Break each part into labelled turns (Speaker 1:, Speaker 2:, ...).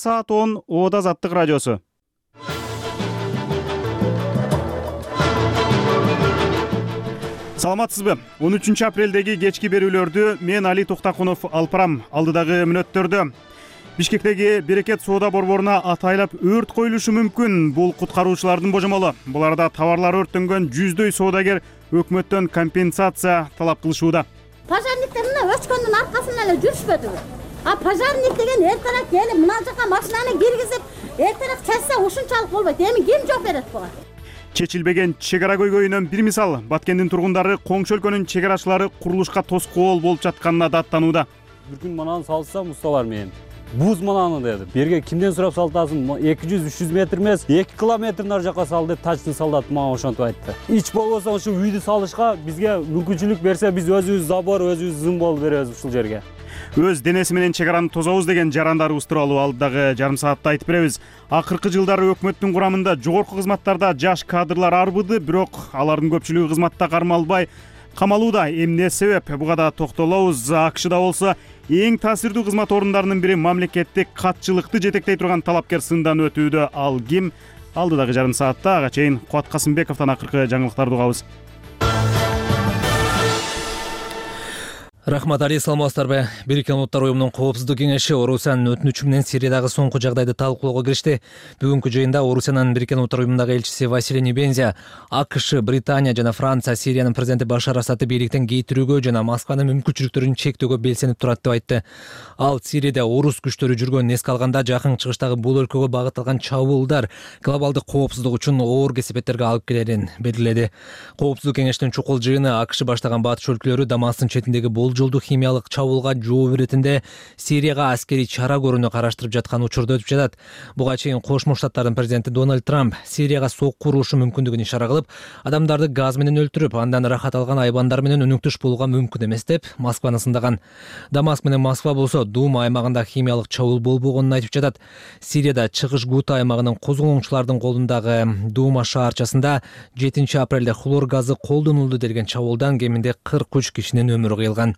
Speaker 1: Саат 10 Ода Азаттык радиосу. Саламатсызбы? 13 апрелдеги кечки берүүлөрдү мен Али Токтакунов алып барам. Алдыдагы мүнөттөрдө Бишкектеги Берекет соода борборуна атайлап өрт коюлушу мүмкүн. Бул куткаруучулардын божомолу. Буларда товарлары өрттөнгөн жүздөй соодагер өкмөттөн компенсация талап кылышууда.
Speaker 2: Пожарниктер мына өчкөндүн аркасынан эле жүрүшпөдүбү? Пожарник деген эртерээк келип мына жака машинаны киргизип, эртерээк чечсе ушунчалык болбойт. Эми ким жооп берет буга?
Speaker 1: Чечилбеген чек ара көйгөйүнөн бир мисал. Баткендин тургундары коңшу өлкөнүн чек арачылары курулушка тоскоол болуп жатканына даттанууда.
Speaker 3: Бир күн мананы салсам усталар менен. Буз мананы деди. Берге кимден сурап салтасың? 200-300 метр эмес, 2 километр нар жака сал деп тачты солдат мага ошентип айтты. Ич болбосо ушу үйдү салышка бизге мүмкүнчүлүк берсе, биз өзүбүз забор, өзүбүз зымбол беребиз ушул жерге.
Speaker 1: Өз денеси менен чек араны тозобуз деген жарандарыбыз тууралуу алдыдагы жарым саатта айтып беребиз. Акыркы жылдары өкмөттүн курамында жогорку кызматтарда жаш кадрлар арбыды, бирок алардын көпчүлүгү кызматта кармалбай камалууда. Эмне себеп? Буга да токтолобуз. АКШда болсо эң таасирдүү кызмат орундарынын бири мамлекеттик катчылыкты жетектей турган талапкер сындан өтүүдө. Ал ким? Алдыдагы жарым саатта ага чейин Кубат Касымбековдон акыркы жаңылыктарды угабыз.
Speaker 4: Рахмат Али, саламатсыздарбы? Бириккен Улуттар уюмунун коопсуздук кеңеши Орусиянын өтүнүчү менен Сириядагы соңку жагдайды талкуулоого киришти. Бүгүнкү жыйында Орусиянын Бириккен Улуттар уюмундагы элчиси Василий Небензя АКШ, Британия жана Франция Сириянын президенти Башар Асадты бийликтен кейтирүүгө жана Москванын мүмкүнчүлүктөрүн чектөөгө белсенип турат деп айтты. Ал Сирияда орус күчтөрү жүргөнүн эске алганда жакын чыгыштагы бул өлкөгө багытталган чабуулдар глобалдык коопсуздук үчүн оор кесепеттерге алып келерин белгиледи. Коопсуздук кеңештин чукул жыйыны АКШ баштаган батыш өлкөлөрү Дамастын четиндеги жолдуу химиялык чабуулга жооп иретинде Сирияга аскерий чара көрүүнү караштырып жаткан учурда өтүп жатат. Буга чейин Кошмо Штаттардын президенти Дональд Трамп Сирияга сокку урушу мүмкүндүгүн ишара кылып, адамдарды газ менен өлтүрүп, андан рахат алган айбандар менен өнүктүш болууга мүмкүн эмес деп Москваны сындаган. Дамаск менен Москва болсо Дума аймагында химиялык чабуул болбогонун айтып жатат. Сирияда чыгыш Гута аймагынын козголоңчулардын колундагы Дума шаарчасында 7 апрелде хлор газы колдонулду делген чабуулдан кеминде 43 кишинин өмүрү кыйылган.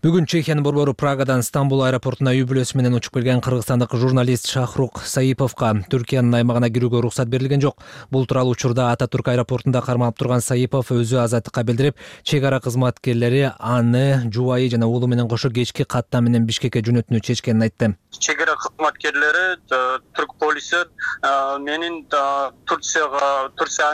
Speaker 4: Бүгүн Чехиянын борбору Прагадан Стамбул аэропортуна үй бүлөсү менен учуп келген кыргызстандык журналист Шахрук Саиповго Түркиянын аймагына кирүүгө уруксат берилген жок. Бул тууралуу учурда Ататүрк аэропортунда кармалып турган Саипов өзү азаттыкка билдирип, чек ара кызматкерлери аны жубайы жана уулу менен кошо кечки каттам менен Бишкекке жөнөтүүнү чечкенин айтты.
Speaker 5: Чек ара кызматкерлери түрк полиси менин Турция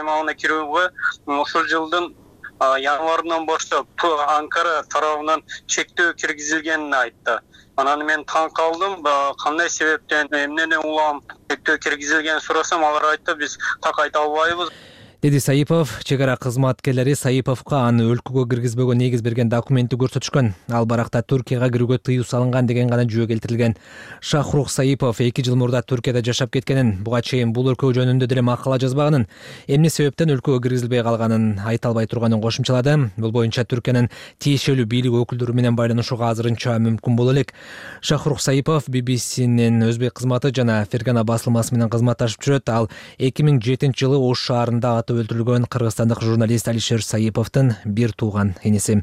Speaker 5: аймагына кирүүгө ушул жылдын январынан баштап Анкара тарабынан чектөө киргизилгенин айтты. Анан мен таң калдым, кандай себептен, эмнени улам чектөө киргизилгенин сурасам, алар айтты, биз так айта албайбыз.
Speaker 4: Деди Саипов. Чек ара кызматкерлери Саиповго аны өлкөгө киргизбөөгө негиз берген документти көрсөтүшкөн. Ал баракта Түркияга кирүүгө тыюу салынган деген гана жүйө келтирилген. Шахрух Саипов 2 жыл мурда Түркияда жашап кеткенин, буга чейин бул өлкө жөнүндө деле макала жазбаганын, эмне себептен өлкөгө киргизилбей калганын айта албай турганын кошумчалады. Бул боюнча Түркиянын тиешелүү бийлик өкүлдөрү менен байланышууга азырынча мүмкүн боло элек. Шахрух Саипов BBC'нин өзбек кызматы жана Фергана басылмасы менен кызматташып жүрөт. Ал 2007 жылы Ош шаарында өлтүрүлгөн кыргызстандык журналист Алишер Саиповдун бир тууган энеси.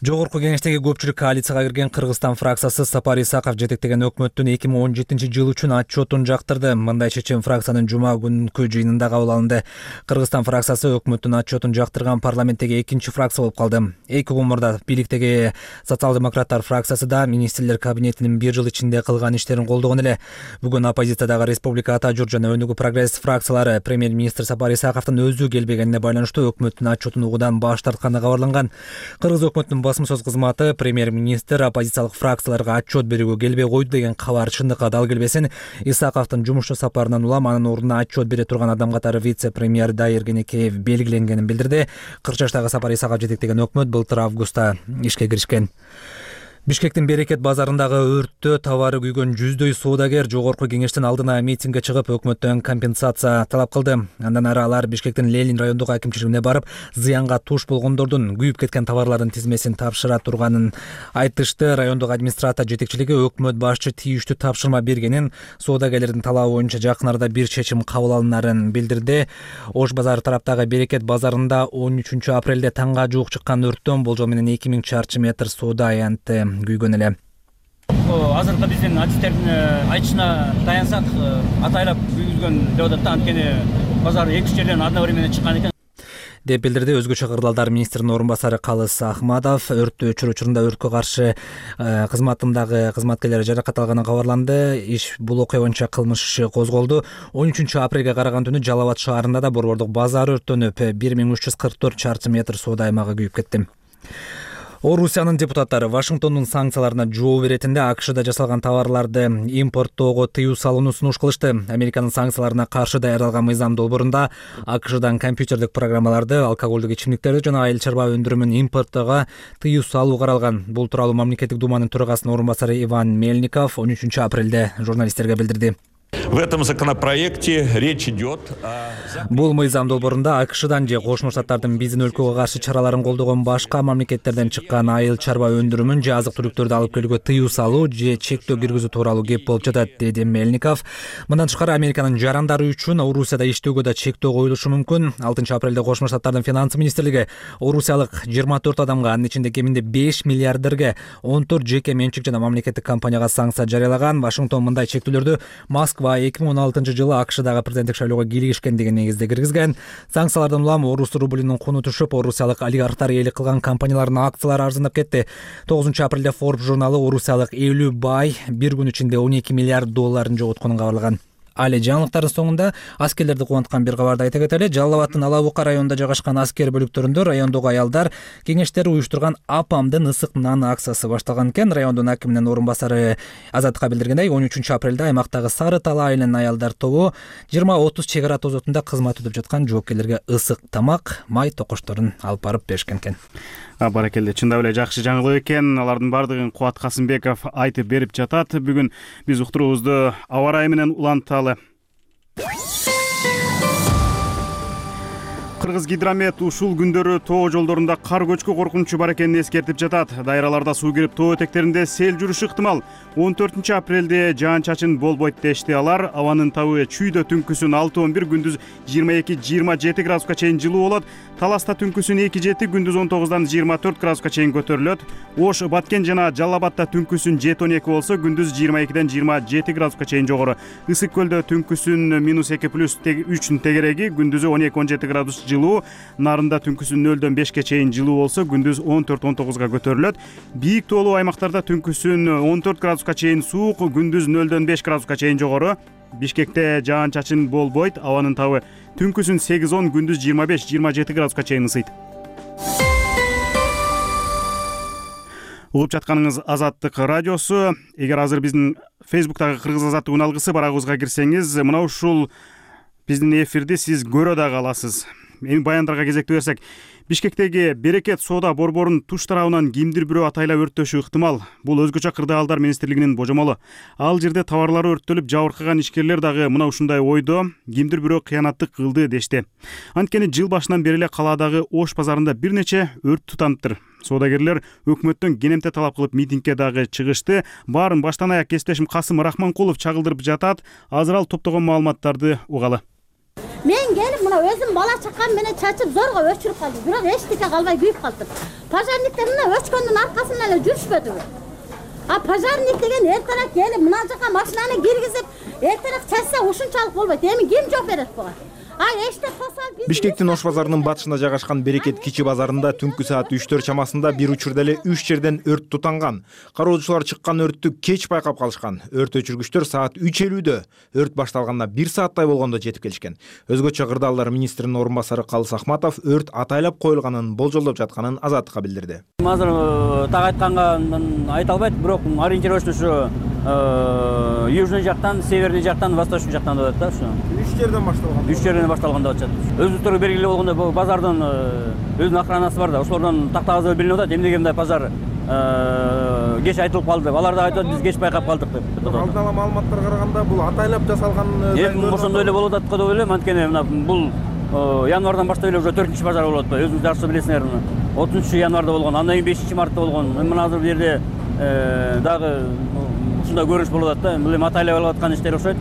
Speaker 4: Жогорку кеңештеги көпчүлүк коалицияга кирген Кыргызстан фракциясы Сапар Исаков жетектеген өкмөттүн 2017 жыл үчүн отчетун жактырды. Мындай чечим фракциянын жума күнкү жыйынында кабыл алынды. Кыргызстан фракциясы өкмөттүн отчетун жактырган парламенттеги экинчи фракция болуп калды. 2 күн мурда бийликтеги социал-демократтар фракциясы да министрлер кабинетинин бир жыл ичинде кылган иштерин колдогон эле. Бүгүн оппозициядагы Республика Ата Журт жана Өнүгүү прогресс фракциялары премьер-министр Сапар Исаковдун өзү келбегенине байланыштуу өкмөттүн отчетун угуудан баш тартканы кабарланган. Кыргыз өкмөтүнүн басым сөз кызматы премьер-министр оппозициялык фракцияларга отчет берүүгө келбей койду деген кабар чындыкка дал келбесин. Исаковдун жумушчу сапарынан улам анын ордуна отчет бере турган адам катары вице-премьер Дайыр Кенекеев белгиленгенин билдирди. 40 жаштагы Сапар Исаков жетектеген өкмөт былтыр августта ишке киришкен. Бишкектин Берекет базарындагы өрттө товары күйгөн жүздөй соодагер жогорку кеңештин алдына митингге чыгып, өкмөттөн компенсация талап кылды. Андан ары алар Бишкектин Ленин райондук акимчилигине барып, зыянга туш болгондордун күйүп кеткен товарлардын тизмесин тапшыра турганын айтышты. Райондук администрация жетекчилиги өкмөт башчы тийиштүү тапшырма бергенин, соодагерлердин талабы боюнча жакын арада бир чечим кабыл алынарын билдирди. Ош базары тараптагы Берекет базарында 13 апрелде таңга жуук чыккан өрттөн болжол менен 2000 чарчы метр соода аянты күйгөн эле.
Speaker 6: азыркы биздин адистердин айтышына таянсак, атайлап күйгүзгөн деп атат да, анткени базар 2 жерден одновременно чыккан экен
Speaker 4: деп билдирди Өзгөчө кырдаалдар министринин орун басары Калыс Ахматов. Өрттү өчүрүү учурунда өрткө каршы кызматындагы кызматкерлер жаракат алганы кабарланды. Бул окуя боюнча кылмыш иши козголду. 13 апрелге караган түнү Жалал Абад шаарында да борбордук базар өрттөнүп, 1344 чарчы метр соода аймагы күйүп кетти. Орусиянын депутаттары Вашингтондун санкцияларына жооп беретинде АКШда жасалган товарларды импорттоого тыюу салууну сунуш кылышты. Американын санкцияларына каршы даярдалган мыйзам долбоорунда АКШдан компьютердик программаларды, алкоголдук ичимдиктерди жана айыл чарба өндүрүмүн импорттоого тыюу салуу каралган. Бул тууралуу мамлекеттик думанын төрагасынын орун басары Иван Мельников 13 апрелде журналисттерге билдирди.
Speaker 7: В этом законопроекте речь идет
Speaker 4: Бул мыйзам долбоорунда АКШдан же Кошмо Штаттардын биздин өлкөгө каршы чараларын колдогон башка мамлекеттерден чыккан айыл чарба өндүрүмүн же азык-түлүктөрдү алып келүүгө тыюу салуу же чектөө киргизүү тууралуу кеп болуп жатат, деди Мельников. Мындан тышкары Американын жарандары үчүн Орусияда иштөөгө да чектөө коюлушу мүмкүн. 6 апрелде Кошмо Штаттардын финансы министрлиги орусиялык 24 адамга, анын ичинде кеминде 5 миллиардерге 14 жеке менчик жана мамлекеттик компанияга санкция жарыялаган. Вашингтон мындай чектөөлөрдү Москва 2016 жылы АКШдагы президенттик шайлоого кийлигишкен деген негизде киргизген. Санкциялардан улам орус рублинин куну түшүп, орусиялык олигархтар ээлик кылган компаниялардын акциялары арзандап кетти. 9 апрелде Forbes журналы орусиялык 50 бай бир күн ичинде 12 миллиард долларын жоготконун кабарлаган. Али жаңылыктардын соңунда аскерлерди кубанткан бир кабарды айта кетели. Жалал Абадтын Ала Бука районунда жайгашкан аскер бөлүктөрүндө райондогу аялдар кеңештери уюштурган апамдын ысык наны акциясы башталган экен. Райондун акиминин орун басары Азаттыкка билдиргендей, 13 апрелде аймактагы Сары Тала айылынын аялдар тобу 20-30 чек ара тозотунда кызмат өтүп жаткан жоокерлерге ысык тамак, май токочторун алып барып беришкен экен.
Speaker 1: Баракелде, чындап эле жакшы жаңылык экен. Алардын бардыгын Кубат Касымбеков айтып берип жатат. Бүгүн биз уктуруубузду аба ырайы менен уланталы. Кыргыз Гидромет ушул күндөрү тоо жолдорунда кар көчкү коркунучу бар экенин эскертип жатат. Дайраларда суу кирип, тоо этектеринде сел жүрүшү ыктымал. 14 апрелде жаан-чачын болбойт дешти алар. Абанын табы чүйдө түнкүсүн 6-11, күндүз 22-27 градуска чейин жылуу болот. Таласта түнкүсүн 2-7, күндүз 19-дан 24 градуска чейин көтөрүлөт. Ош, Баткен жана Жалал Абадта түнкүсүн 7-12 болсо, күндүз 22-ден 27 градуска чейин жогору. Ысык көлдө түнкүсүн -2+3 тегереги, күндүзү 12-17 градус жылуу. Нарында түнкүсүн 0-дөн 5ке чейин жылуу болсо, күндүз 14-19га көтөрүлөт. Бийик тоолуу аймактарда түнкүсүн 14 градуска чейин суук, күндүз 0-дөн 5 градуска чейин жогору. Бишкекте жаан-чачын болбойт, абанын табы түнкүсүн 8-10, күндүз 25-27 градуска чейин ысыйт. Угуп жатканыңыз Азаттык радиосу. Эгер азыр биздин Facebook'тагы Кыргыз Азаттык уналгысы барагыбызга кирсеңиз, мына ушул биздин эфирди сиз көрө дагы аласыз. Эми баяндарга кезектүү берсек, Бишкектеги Берекет соода борборунун туш тарабынан кимдир бирөө атайлап өрттөшү ыктымал. Бул Өзгөчө кырдаалдар министрлигинин божомолу. Ал жерде товарлары өрттөлүп жабыркаган ишкерлер дагы мына ушундай ойдо, кимдир бирөө кыянаттык кылды дешти. Анткени жыл башынан бери эле калаадагы Ош базарында бир нече өрт тутаныптыр. Соодагерлер өкмөттөн кенемте талап кылып митингке дагы чыгышты. Баарын баштан аяк кесиптешим Касым Рахманкулов чагылдырып жатат. Азыр ал топтогон маалыматтарды угалы.
Speaker 2: Мен келип мына өзүм бала чакам менен чачып зорго өчүрүп калдым. Бирок эчтеке калбай күйүп калдым. Пожарниктер мына өчкөндүн аркасынан эле жүрүшпөдүбү? Пожарник деген эртерээк келип мына жака машинаны киргизип, эртерээк чачса ушунчалык болбойт. Эми ким жооп берет буга?
Speaker 8: Бишкектин Ош базарынын батышында жайгашкан Берекет кичи базарында түнкү саат 3-4 чамасында бир учурда эле 3 жерден өрт тутанган. Кароочулар чыккан өрттү кеч байкап калышкан. Өрт өчүргүчтөр саат 3:50дө өрт башталганына 1 сааттай болгондо жетип келишкен. Өзгөчө кырдаалдар министринин орун басары Калыс Ахматов өрт атайлап коюлганын болжолдоп жатканын Азаттыкка билдирди.
Speaker 6: Азыр так айтканга айта албайт, бирок ориентировочно ушу южный жактан, северный жактан, восточный жактан болот да, ушу.
Speaker 8: 3 жерден башталган.
Speaker 6: 3 жерден башталган деп атышат. Өзүлөрү белгилүү болгондо бул базардын өзүнүн охранасы бар да, ошолордон тактагызы билинип атат. Эмнеге мындай базар кеч айтылып калды деп. Алар да айтат, биз кеч байкап калдык деп.
Speaker 8: Алдын ала маалыматтарга караганда бул атайлап жасалган.
Speaker 6: Эми ошондой эле болуп атат го деп ойлойм. Анткени мына бул январдан баштап эле уже 4-чү базар болуп атат. Өзүңүз жакшы билесиңер. 30 январда болгон, андан кийин 5 мартта болгон. Мына азыр бу жерде дагы ушундай көрүнүш болуп атат да. Бул эми атайлап алып аткан иштер окшойт.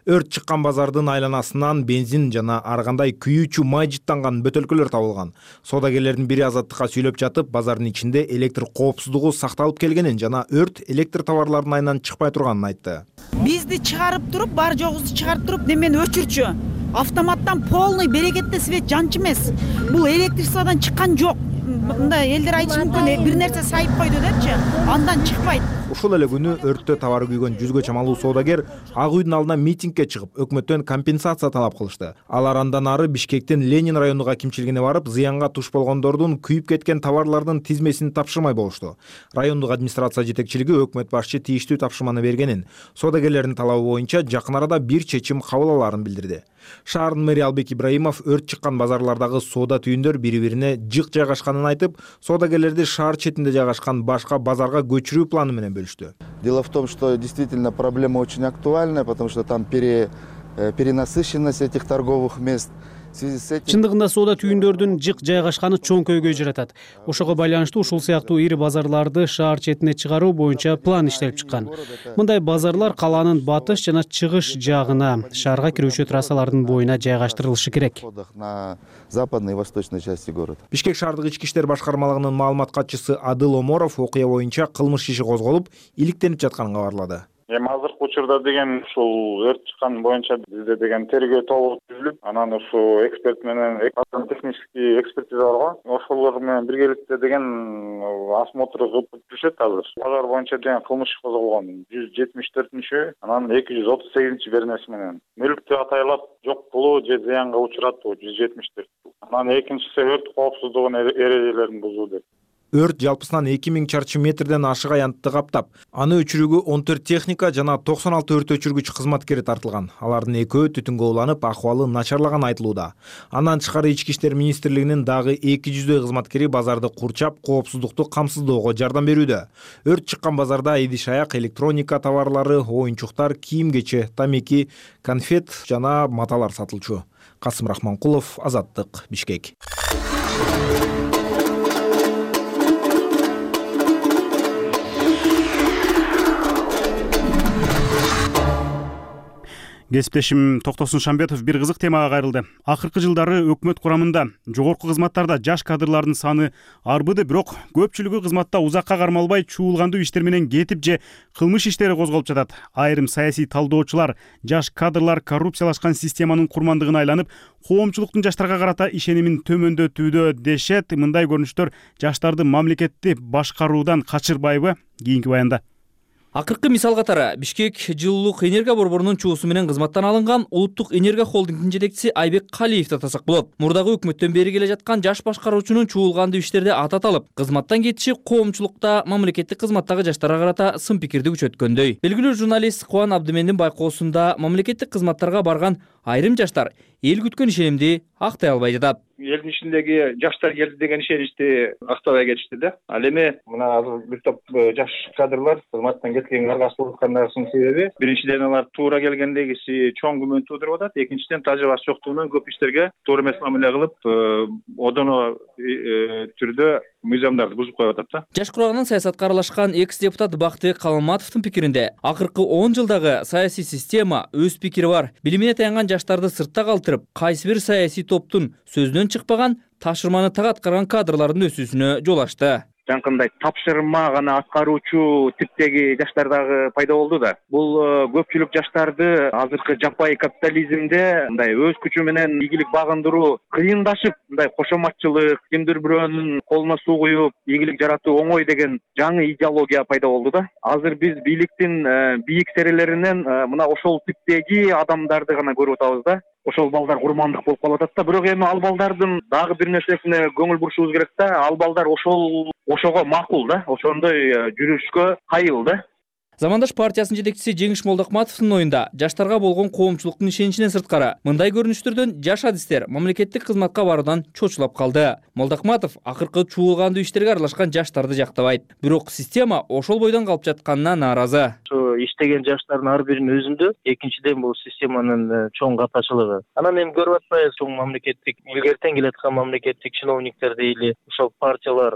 Speaker 8: Өрт чыккан базардын айланасынан бензин жана ар кандай күйүүчү май жыттанган бөтөлкөлөр табылган. Соодагерлердин бири Азаттыкка сүйлөп жатып, базардын ичинде электр коопсуздугу сакталып келгенин жана өрт электр товарларынын айынан чыкпай турганын айтты.
Speaker 9: Бизди чыгарып туруп, бар жогубузду чыгарып туруп, немени өчүрчү. Автоматтан полный берекетте свет жанчы эмес. Бул электричестводон чыккан жок. Мындай элдер айтышы мүмкүн, бир нерсе сайып койду депчи, андан чыкпайт.
Speaker 8: Ушул эле күнү өрттө товары күйгөн 100гө чамалуу соодагер Ак үйдүн алдына митингге чыгып, өкмөттөн компенсация талап кылышты. Алар андан ары Бишкектин Ленин районуга акимчилигине барып, зыянга туш болгондордун күйүп кеткен товарлардын тизмесин тапшырмай болушту. Райондук администрация жетекчилиги өкмөт башчы тийиштүү тапшырманы бергенин, соодагерлердин талабы боюнча жакын арада бир чечим кабыл аларын билдирди. Шаардын мэри Албек Ибраимов өрт чыккан базарлардагы соода түйүндөр бири-бирине жык жайгашканын айтып, соодагерлерди шаар четинде жайгашкан башка базарга көчүрүү планы менен бөлүштү.
Speaker 10: Дело в том, что действительно проблема очень актуальная, потому что там перенасыщенность этих торговых мест.
Speaker 11: Чындыгында соода түйүндөрдүн жык жайгашканы чоң көйгөй жаратат. Ошого байланыштуу ушул сыяктуу ири базарларды шаар четине чыгаруу боюнча план иштелип чыккан. Мындай базарлар калаанын батыш жана чыгыш жагына, шаарга кирүүчү трассалардын боюна жайгаштырылышы керек.
Speaker 10: На западной и восточной части города.
Speaker 8: Бишкек шаардык ички иштер башкармалыгынын маалымат катчысы Адыл Оморов окуя боюнча кылмыш иши козголуп, иликтенип жатканын кабарлады.
Speaker 12: Эми азыркы учурда деген ушул өрт чыккан боюнча бизде деген тергөө тобу түзүлүп, анан ушу эксперт менен технический экспертиза бар го. Ошолор менен биргеликте деген осмотр кылып жүрүшөт азыр. Базар боюнча деген кылмыш козголгон 174-чү, анан 238-чи беренеси менен. Мүлктү атайлап жок кылуу же зыянга учуратуу 174. Анан экинчиси өрт коопсуздугунун эрежелерин бузуу деп.
Speaker 8: Өрт жалпысынан 2000 чарчы метрден ашык аянтты каптап, аны өчүрүүгө 14 техника жана 96 өрт өчүргүч кызматкери тартылган. Алардын экөө түтүнгө уланып, акыбалы начарлаган айтылууда. Андан тышкары Ички иштер министрлигинин дагы 200 кызматкери базарды курчап, коопсуздукту камсыздоого жардам берүүдө. Өрт чыккан базарда идиш-аяк, электроника товарлары, оюнчуктар, кийим-кече, тамеки, конфет жана маталар сатылчу. Касым Рахманкулов, Азаттык, Бишкек.
Speaker 1: Кесиптешим Токтосун Шамбетов бир кызык темага кайрылды. Акыркы жылдары өкмөт курамында жогорку кызматтарда жаш кадрлардын саны арбыды, бирок көпчүлүгү кызматта узакка кармалбай чуулгандуу иштер менен кетип же кылмыш иштери козголуп жатат. Айрым саясий талдоочулар жаш кадрлар коррупциялашкан системанын курмандыгына айланып, коомчулуктун жаштарга карата ишенимин төмөндөтүүдө дешет. Мындай көрүнүштөр жаштарды мамлекетти башкаруудан качырбайбы? Кийинки баянда.
Speaker 13: Акыркы мисал катары Бишкек жылуулук энергия борборунун чуусу менен кызматтан алынган Улуттук энергия холдингдин жетекчиси Айбек Калиевди атасак болот. Мурдагы өкмөттөн бери келе жаткан жаш башкаруучунун чуулгандуу иштерде ататалып, кызматтан кетиши коомчулукта мамлекеттик кызматтагы жаштарга карата сын пикирди күчөткөндөй. Белгилүү журналист Кубан Абдымендин байкоосунда мамлекеттик кызматтарга барган айрым жаштар эл күткөн ишенимди актай албай жатат.
Speaker 14: Элдин ичиндеги жаштар келди деген ишеничти актабай кетишти да. Ал эми мына азыр бир топ жаш кадрлар кызматтан кеткенге аргасыздык кылгандарынын себеби биринчиден алар туура келгендегиси чоң күмөн туудуруп атат, экинчиден тажрыйбасы жоктугунан көп иштерге туура эмес мамиле кылып, одоно түрдө мыйзамдарды бузуп коюп атат да.
Speaker 13: Жаш курамынан саясатка аралашкан экс-депутат Бактыбек Калматовдун пикиринде, акыркы 10 жылдагы саясий система өз пикири бар. Билимине таянган жаштарды сыртта калтырып, кайсы бир саясий топтун сөзүнөн чыкпаган тапшырманы так аткарган кадрлардын өсүүсүнө жол ачты.
Speaker 14: Жанкындай тапшырма гана аткаруучу типтеги жаштар дагы пайда болду да. Бул көпчүлүк жаштарды азыркы жаппай капитализмде мындай өз күчү менен ийгилик багындыруу кыйындашып, мындай кошоматчылык, кимдир бирөөнүн колуна суу куюп, ийгилик жаратуу оңой деген жаңы идеология пайда болду да. Азыр биз бийликтин бийик серелеринен мына ошол типтеги адамдарды гана көрүп атабыз да. Ошол балдар курмандык болуп калып атат да. Бирок эми ал балдардын дагы бир нерсесине көңүл бурушубуз керек да. Ал балдар ошого макул да. Ошондой жүрүшкө кайыл да.
Speaker 13: Замандаш партиясынын жетекчиси Жеңиш Молдокматовдун оюнда жаштарга болгон коомчулуктун ишеничинен сырткары мындай көрүнүштөрдөн жаш адистер мамлекеттик кызматка баруудан чочулап калды. Молдокматов акыркы чуулгандуу иштерге аралашкан жаштарды жактабайт, бирок система ошол бойдон калып жатканына нааразы.
Speaker 15: Иштеген жаштардын ар биринин өзүндө, экинчиден бул системанын чоң катачылыгы. Анан эми көрүп атпайбыз, чоң мамлекеттик илгертен келаткан мамлекеттик чиновниктер дейли, ошол партиялар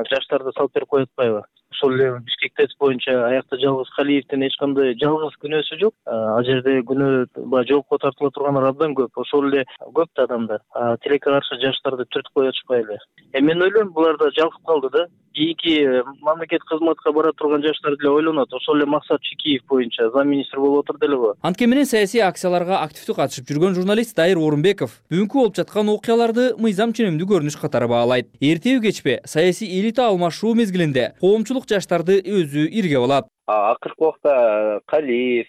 Speaker 15: жаштарды салып берип коюп атпайбы? ошол эле Бишкек ТЭЦ боюнча аякта жалгыз Калиевдин эч кандай жалгыз күнөөсү жок. Ал жерде күнөө баягы жоопко тартыла тургандар абдан көп. Ошол эле көп да адамдар тилекке каршы жаштарды түртүп коюп атышпай эле. Мен ойлойм булар да жалкып калды да. Кийинки мамлекет кызматка бара турган жаштар деле ойлонот. Ошол эле Максат Чекиев боюнча замминистр болуп отур делеби.
Speaker 13: Анткени менен саясий акцияларга активдүү катышып жүргөн журналист Дайыр Орунбеков бүгүнкү болуп жаткан окуяларды мыйзам ченемдүү көрүнүш катары баалайт. Эртеби кечпи саясий элита алмашуу мезгилинде коомчулук жаштарды өзү ирге алат.
Speaker 16: Акыркы убакта Калиев,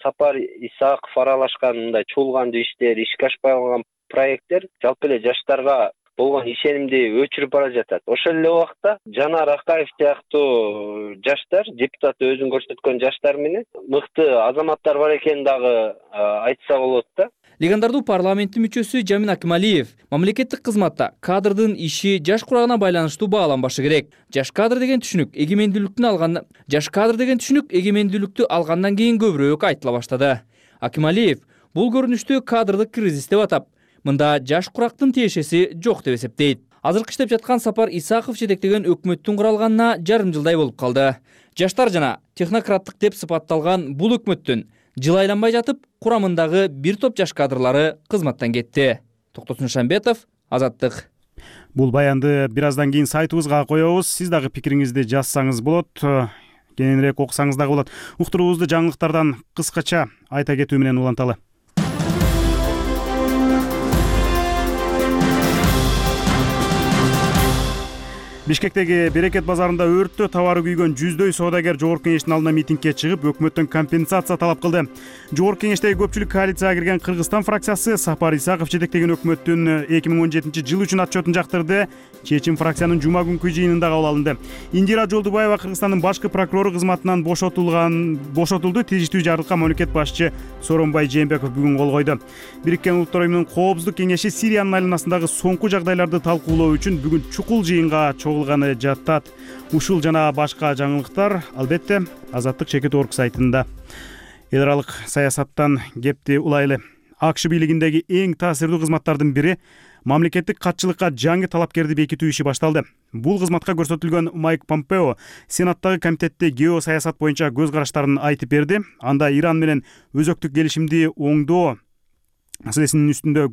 Speaker 16: Сапар Исаков аралашкан мындай чуулгандуу иштер, ишке ашпай калган проекттер жалпы эле жаштарга болгон ишенимди өчүрүп бара жатат. Ошол эле убакта Жанар Акаев сыяктуу жаштар, депутат өзүн көрсөткөн жаштар менен мыкты азаматтар бар экенин дагы айтса болот да.
Speaker 13: Легендардуу парламенттин мүчөсү Жамин Акималиев мамлекеттик кызматта кадрдын иши жаш курагына байланыштуу бааланбашы керек. Жаш кадр деген түшүнүк эгемендүүлүктү алгандан кийин көбүрөөк айтыла баштады. Акималиев бул көрүнүштү кадрдык кризис деп атап, мында жаш курактын тиешеси жок деп эсептейт. Азыркы иштеп жаткан Сапар Исаков жетектеген өкмөттүн куралганына жарым жылдай болуп калды. Жаштар жана технократтык деп сыпатталган бул өкмөттүн жыл айланбай жатып курамындагы бир топ жаш кадрлары кызматтан кетти. Токтосун Шамбетов, Азаттык.
Speaker 1: Бул баянды бир аздан кийин сайтыбызга коебуз. Сиз дагы пикириңизди жазсаңыз болот, кененирээк окусаңыз дагы болот. Уктуруубузду жаңылыктардан кыскача айта кетүү менен уланталы. Бишкектеги Берекет базарында өрттө табары күйгөн жүздөй соодагер Жогорку кеңештин алдына митингге чыгып, өкмөттөн компенсация талап кылды. Жогорку кеңештеги көпчүлүк коалицияга кирген Кыргызстан фракциясы Сапар Исаков жетектеген өкмөттүн 2017 жыл үчүн отчетун жактырды. Чечим фракциянын жума күнкү жыйынында кабыл алынды. Индира Жолдубаева Кыргызстандын башкы прокурору кызматынан бошотулду. Тийиштүү жарлыкка мамлекет башчы Сооронбай Жээнбеков бүгүн кол койду. Бириккен Улуттар уюмунун Коопсуздук кеңеши Сириянын айланасындагы соңку жагдайларды талкуулоо үчүн бүгүн чукул жыйынга чогулганы жаттат. Ушул жана башка жаңылыктар албетте Азаттык Чекит.орг сайтында. Эл аралык саясаттан кепти улайлы. АКШ бийлигиндеги эң таасирдүү кызматтардын бири мамлекеттик катчылыкка жаңы талапкерди бекитүү иши башталды. Бул кызматка көрсөтүлгөн Майк Помпео Сенаттагы комитетте геосаясат боюнча көз караштарын айтып берди. Анда Иран менен өзөктүк келишимди оңдоо маселесинин үстүндө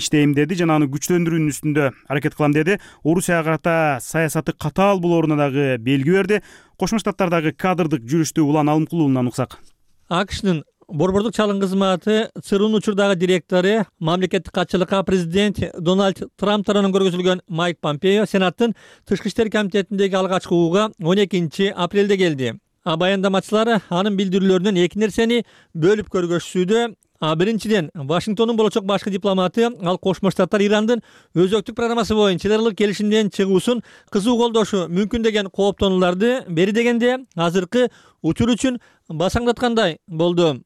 Speaker 1: иштейм деди жана аны күчтөндүрүүнүн үстүндө аракет кылам деди. Орусияга карата саясаты катаал болооруна дагы белги берди. Кошмо Штаттардагы кадрдык жүрүштү Улан Алымкулуулунан уксак.
Speaker 17: АКШнын борбордук чалым кызматы ЦРУнун учурдагы директору, мамлекеттик катчылыкка президент Дональд Трамп тарабынан көргөзүлгөн Майк Помпео Сенаттын Тышкы иштер комитетиндеги алгачкы угууга 12 апрелде келди. Баяндамачылар анын билдирүүлөрүнөн эки нерсени бөлүп көргөзүшүүдө. Биринчиден, Вашингтондун болочок башкы дипломаты ал Кошмо Штаттар Ирандын өзөктүк программасы боюнча эл аралык келишимден чыгуусун кызуу колдошу мүмкүн деген кооптонууларды бери дегенде азыркы учур үчүн басаңдаткандай болду.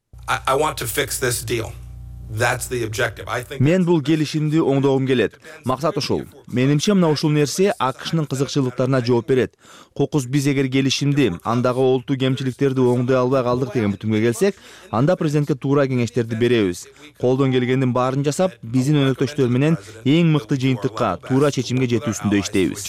Speaker 18: Мен бул келишимди оңдогум келет. Максат ошол. Менимче мына ушул нерсе АКШнын кызыкчылыктарына жооп берет. Кокус биз эгер келишимди, андагы олуттуу кемчиликтерди оңдой албай калдык деген бүтүмгө келсек, анда президентке туура кеңештерди беребиз. Колдон келгендин баарын жасап, биздин өнөктөштөр менен эң мыкты жыйынтыкка, туура чечимге жетүүсүндө иштейбиз.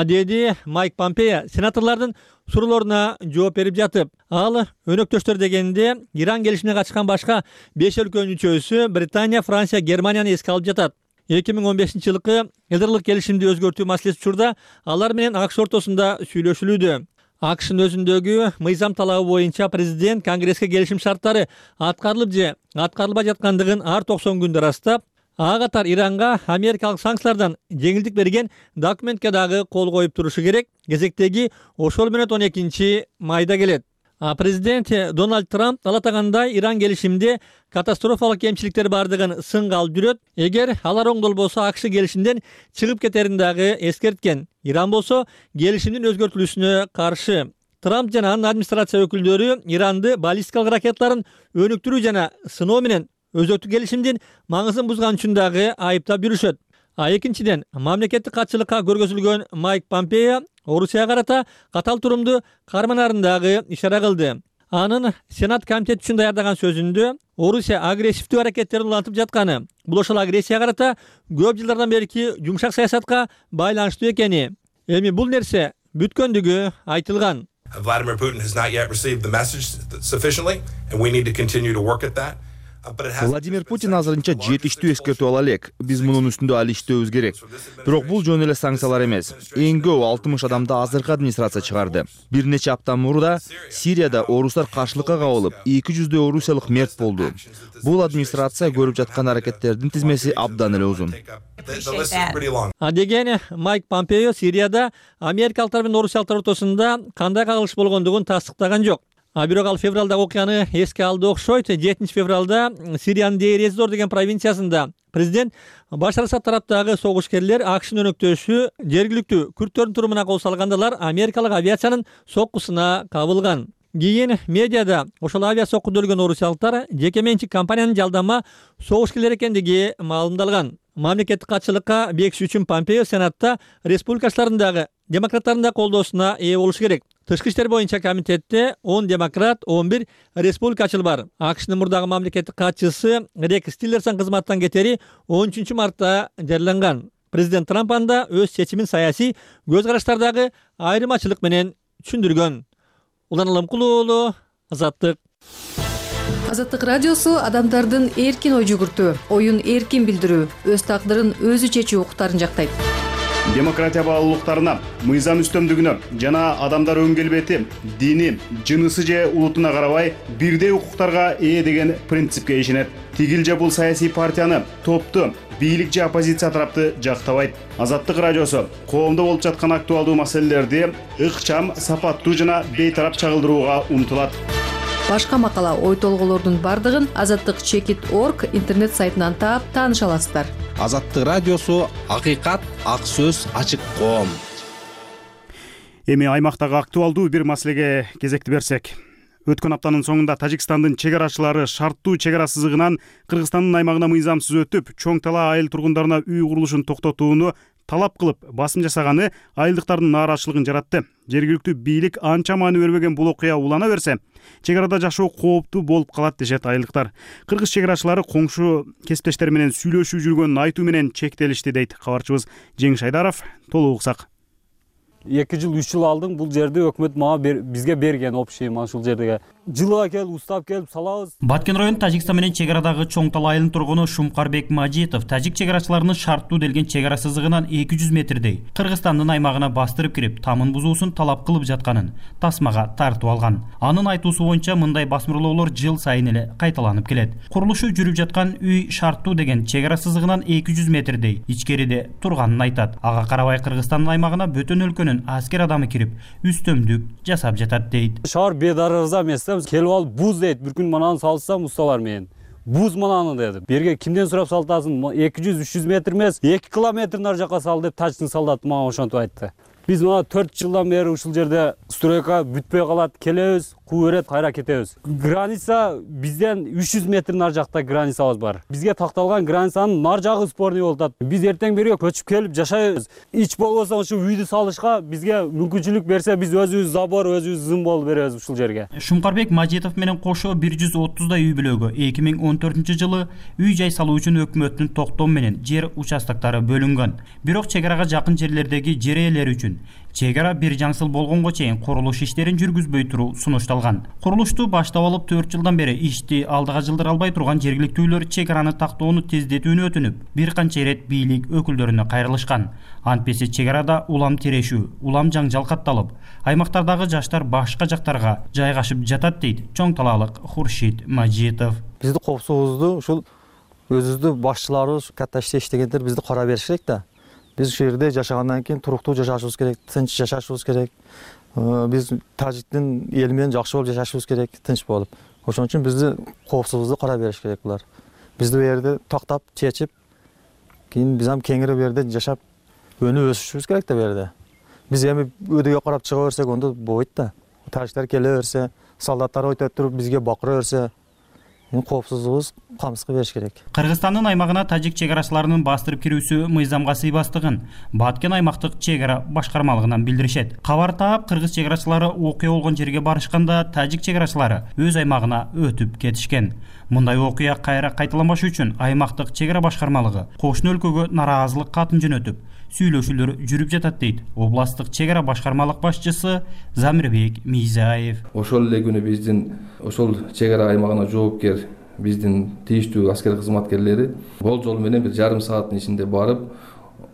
Speaker 17: Деди Майк Помпео сенаторлордун суроолоруна жооп берип жатып, ал өнөктөштөр дегенде Иран келишимине катышкан башка 5 өлкөнүн үчөөсү Британия, Франция, Германияны эске алып жатат. 2015-жылкы эл аралык келишимди өзгөртүү маселеси учурда алар менен АКШ ортосунда сүйлөшүлүүдө. АКШнын өзүндөгү мыйзам талабы боюнча президент Конгресске келишим шарттары аткарылып же аткарылбай жаткандыгын ар 90 күндө ырастап, ага катар Иранга америкалык санкциялардан жеңилдик берген документке дагы кол коюп турушу керек. Кезектеги ошол менен 12 майда келет. Президент Дональд Трамп ал атагандай Иран келишимде катастрофалык кемчиликтер бардыгын сынга алып жүрөт. Эгер алар оңдолбосо АКШ келишимден чыгып кетерин дагы эскерткен. Иран болсо келишимдин өзгөртүлүүсүнө каршы. Трамп жана анын администрация өкүлдөрү Иранды баллистикалык ракеталарын өнүктүрүү жана сыноо менен өзөктүк келишимдин маңызын бузган үчүн дагы айыптап жүрүшөт. Экинчиден, мамлекеттик катчылыкка көргөзүлгөн Майк Помпео Орусияга карата катаал турумду карманарын дагы ишара кылды. Анын Сенат комитети үчүн даярдаган сөзүндө Орусия агрессивдүү аракеттерин улантып жатканы, бул ошол агрессияга карата көп жылдардан берки жумшак саясатка байланыштуу экени, Эми бул нерсе бүткөндүгү айтылган.
Speaker 19: Vladimir Putin has not yet received the message sufficiently, and we need to continue to work at that.
Speaker 18: Владимир Путин азырынча жетиштүү эскертүү ала элек. Биз мунун үстүндө али иштөөбүз керек. Бирок бул жөн эле санкциялар эмес. Эң көп 60 адамды азыркы администрация чыгарды. Бир нече апта мурда Сирияда орустар каршылыкка кабылып, 200 орусиялык мерт болду. Бул администрация көрүп жаткан аракеттердин тизмеси абдан эле узун.
Speaker 17: Деген Майк Помпео Сирияда америкалыктар менен орусиялыктар ортосунда кандай кагылыш болгондугун тастыктаган жок. Бирок ал февралдагы окуяны эске алды окшойт. 7 февралда Сириянын Дейр-эз-Зор деген провинциясында президент Башар Асад тараптагы согушкерлер АКШнын өнөктөшү жергиликтүү күрттөрдүн турумуна кол салгандалар америкалык авиациянын соккусуна кабылган. Кийин медиада ошол авиа соккуда өлгөн орусиялыктар жеке менчик компаниянын жалдама согушкерлер экендиги маалымдалган. Мамлекеттик катчылыкка бекиш үчүн Помпео Сенатта республикачылардын дагы демократтардын да колдоосуна ээ болуш керек. Тышкы иштер боюнча комитетте 10 демократ, 11 республикачыл бар. АКШнын мурдагы мамлекеттик катчысы Рекс Тиллерсон кызматтан кетери 13 мартта жарыяланган. Президент Трамп анда өз чечимин саясий көз караштардагы айырмачылык менен түшүндүргөн. Улан Аламкулуу уулу, Азаттык.
Speaker 20: Азаттык радиосу адамдардын эркин ой жүгүртүү, оюн эркин билдирүү, өз тагдырын өзү чечүү укуктарын жактайт.
Speaker 1: Демократия баалуулуктарына, мыйзам үстөмдүгүнө жана адамдар өн келбети, дини, жынысы же улутуна карабай бирдей укуктарга ээ деген принципке ишенет. Тигил же бул саясий партияны, топту, бийлик же оппозиция тарапты жактабайт. Азаттык радиосу коомдо болуп жаткан актуалдуу маселелерди ыкчам, сапаттуу жана бейтарап чагылдырууга умтулат.
Speaker 20: Башка макала, ой толгоолордун бардыгын azattik.org интернет сайтынан таап тааныша аласыздар.
Speaker 21: Азаттык радиосу акыйкат, ак сөз, ачык коом.
Speaker 1: Эми аймактагы актуалдуу бир маселеге кезекти берсек. Өткөн аптанын соңунда Тажикстандын чек арачылары шарттуу чек ара сызыгынан Кыргызстандын аймагына мыйзамсыз өтүп, чоң талаа айыл тургундарына үй курулушун токтотууну талап кылып басым жасаганы айылдыктардын нааразычылыгын жаратты. Жергиликтүү бийлик анча маани бербеген бул окуя улана берсе, чек арада жашоо кооптуу болуп калат дешет айылдыктар. Кыргыз чек арачылары коңшу кесиптештери менен сүйлөшүп жүргөнүн айтуу менен чектелишти дейт кабарчыбыз Жеңиш Айдаров. Толук уксак.
Speaker 3: 2 жыл 3 жыл алдым бул жерди өкмөт мага бизге берген общий ушул жерге. Жылга келип, устап келип салабыз.
Speaker 22: Баткен району Тажикстан менен чек арадагы чоң талаа айылынын тургуну Шумкарбек Мажитов тажик чек арачыларынын шарттуу делген чек ара сызыгынан 200 метрдей Кыргызстандын аймагына бастырып кирип, тамын бузуусун талап кылып жатканын тасмага тартып алган. Анын айтуусу боюнча мындай басмырлоолор жыл сайын эле кайталанып келет. Курулушу жүрүп жаткан үй шарттуу деген чек ара сызыгынан 200 метрдей ичкериде турганын айтат. Ага карабай Кыргызстандын аймагына бөтөн өлкөнүн аскер адамы кирип, үстөмдүк жасап жатат дейт.
Speaker 3: Шаар бедарарза эмес. Келип алып буз дейт, бир күн мананы салсам усталар менен. Буз мананы деди. Берге кимден сурап салтасын? 200-300 метр эмес, 2 километр нар жака сал деп Тажиктин солдаты мага ошентип айтты. Биз мына 4 жылдан бери ушул жерде стройка бүтпөй калат, келебиз, куу берет, кайра кетебиз. Граница бизден 300 метр нар жакта границабыз бар. Бизге такталган границанын нар жагы спорный болуп атат. Биз эртең берге көчүп келип жашайбыз. Ич болбосо ушу үйдү салышка бизге мүмкүнчүлүк берсе, биз өзүбүз забор, өзүбүз зым болуп беребиз ушул жерге.
Speaker 22: Шумкарбек Мажитов менен кошо 130 үй бүлөгө 2014-жылы үй жай салуу үчүн өкмөттүн токтому менен жер участоктары бөлүнгөн. Бирок чек арага жакын жерлердеги жер ээлери үчүн чек ара бир жаңсыл болгонго чейин курулуш иштерин жүргүзбөй туруу сунушталган. Курулушту баштап алып 4 жылдан бери ишти алдыга жылдыра албай турган жергиликтүүлөр чек араны тактоону тездетүүнү өтүнүп, бир канча ирет бийлик өкүлдөрүнө кайрылышкан. Антпеси чек арада улам терешүү, улам жаңжал катталып, аймактардагы жаштар башка жактарга жайгашып жатат дейт чоң талаалык Хуршид Мажитов.
Speaker 23: Бизди коопсуздугубузду ушул өзүбүздү башчыларыбыз, катта иштегендер бизди кара бериш керек да. Биз ушул жерде жашагандан кийин туруктуу жашашыбыз керек, тынч жашашыбыз керек. Биз Тажиктин эли менен жакшы болуп жашашыбыз керек, тынч болуп. Ошон үчүн бизди коопсуздугубузду кара бериш керек булар. Бизди бу жерде тактап, чечип, кийин биз ам кеңири бу жерде жашап, өнүп өсүшүбүз керек да бу жерде. Биз эми өйдөгө карап чыга берсек, онда болбойт да. Тажиктер келе берсе, солдаттар өтөп туруп бизге бакыра берсе, коопсуздугубуз камсызга бериш керек.
Speaker 22: Кыргызстандын аймагына тажик чек арачыларынын бастырып кирүүсү мыйзамга сыйбастыгын Баткен аймактык чек ара башкармалыгынан билдиришет. Кабар таап, кыргыз чек арачылары окуя болгон жерге барышканда тажик чек арачылары өз аймагына өтүп кетишкен. Мындай окуя кайра кайталанбаш үчүн аймактык чек ара башкармалыгы кошуна өлкөгө нараазылык катын жөнөтүп, сүйлөшүүлөр жүрүп жатат дейт областтык чек ара башкармалык башчысы Замирбек Мийзаев.
Speaker 4: Ошол эле күнү биздин ошол чек ара аймагына жоопкер биздин тийиштүү аскер кызматкерлери болжол менен бир жарым сааттын ичинде барып,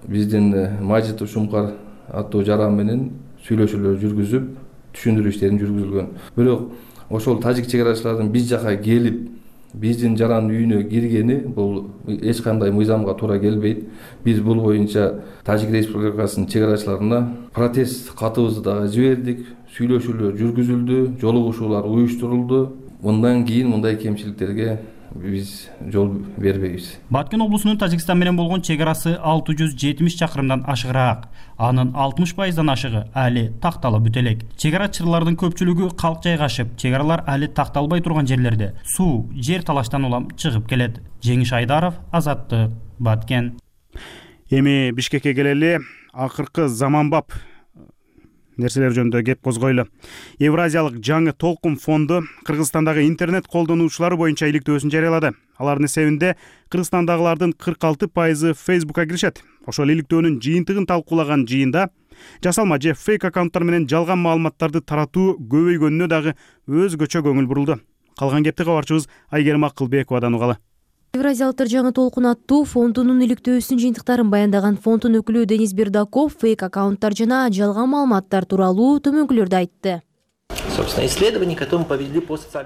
Speaker 4: биздин Мажит Ушумкар аттуу жаран менен сүйлөшүүлөр жүргүзүп, түшүндүрүү иштерин жүргүзүлгөн. Бирок ошол тажик чек арачылардын биз жака келип, биздин жарандын үйүнө киргени бул эч кандай мыйзамга туура келбейт. Биз бул боюнча Тажик Республикасынын чек арачыларына протест катыбызды дагы жибердик, сүйлөшүүлөр жүргүзүлдү, жолугушуулар уюштурулду. Мындан кийин мындай кемчиликтерге биз жол бербейбиз.
Speaker 22: Баткен облусунун Тажикстан менен болгон чек арасы 670 чакырымдан ашыгыраак. Анын 60%дан ашыгы али такталып бүт элек. Чек арачылардын көпчүлүгү калк жайгашып, чек аралар али такталбай турган жерлерде суу, жер талаштан улам чыгып келет. Жеңиш Айдаров, Азаттык, Баткен.
Speaker 1: Эми Бишкекке келели, акыркы заманбап нерселер жөнүндө кеп козгойлу. Евразиялык жаңы толкун фонду Кыргызстандагы интернет колдонуучулары боюнча иликтөөсүн жарыялады. Алардын эсебинде Кыргызстандагылардын 46% Facebook'a киришет. Ошол иликтөөнүн жыйынтыгын талкуулаган жыйында жасалма же фейк аккаунттар менен жалган маалыматтарды таратуу көбөйгөнүнө дагы өзгөчө көңүл бурулду. Калган кепти кабарчыбыз Айгерим Акылбековадан угалы.
Speaker 5: Евразиялыктар жаңы толкун аттуу фондунун иликтөөсүнүн жыйынтыктарын баяндаган фонддун өкүлү Денис Бердаков фейк аккаунттар жана жалган маалыматтар тууралуу төмөнкүлөрдү айтты.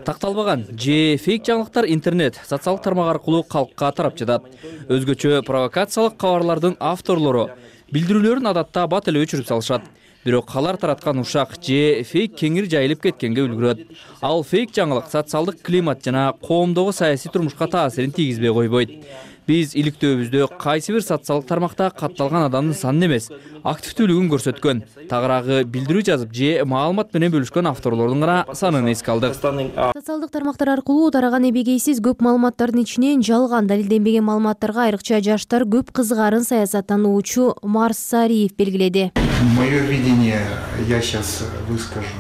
Speaker 13: Такталбаган же фейк жаңылыктар интернет, социалдык тармак аркылуу калкка тарап жатат. Өзгөчө провокациялык кабарлардын авторлору билдирүүлөрүн адатта бат эле өчүрүп салышат. Бирок алар тараткан ушак же фейк кеңири жайылып кеткенге үлгүрөт. Ал фейк жаңылык социалдык климат жана коомдогу саясий турмушка таасирин тийгизбей койбойт. Биз иликтөөбүздө кайсы бир социалдык тармакта катталган адамдын санын эмес, активдүүлүгүн көрсөткөн, тагыраагы билдирүү жазып же маалымат менен бөлүшкөн авторлордун гана санын эске алдык.
Speaker 5: Социалдык тармактар аркылуу тараган эбегейсиз көп маалыматтардын ичинен жалган далилденбеген маалыматтарга айрыкча жаштар көп кызыгарын саясаттануучу Марс Сариев белгиледи.
Speaker 7: Мое видение я сейчас выскажу.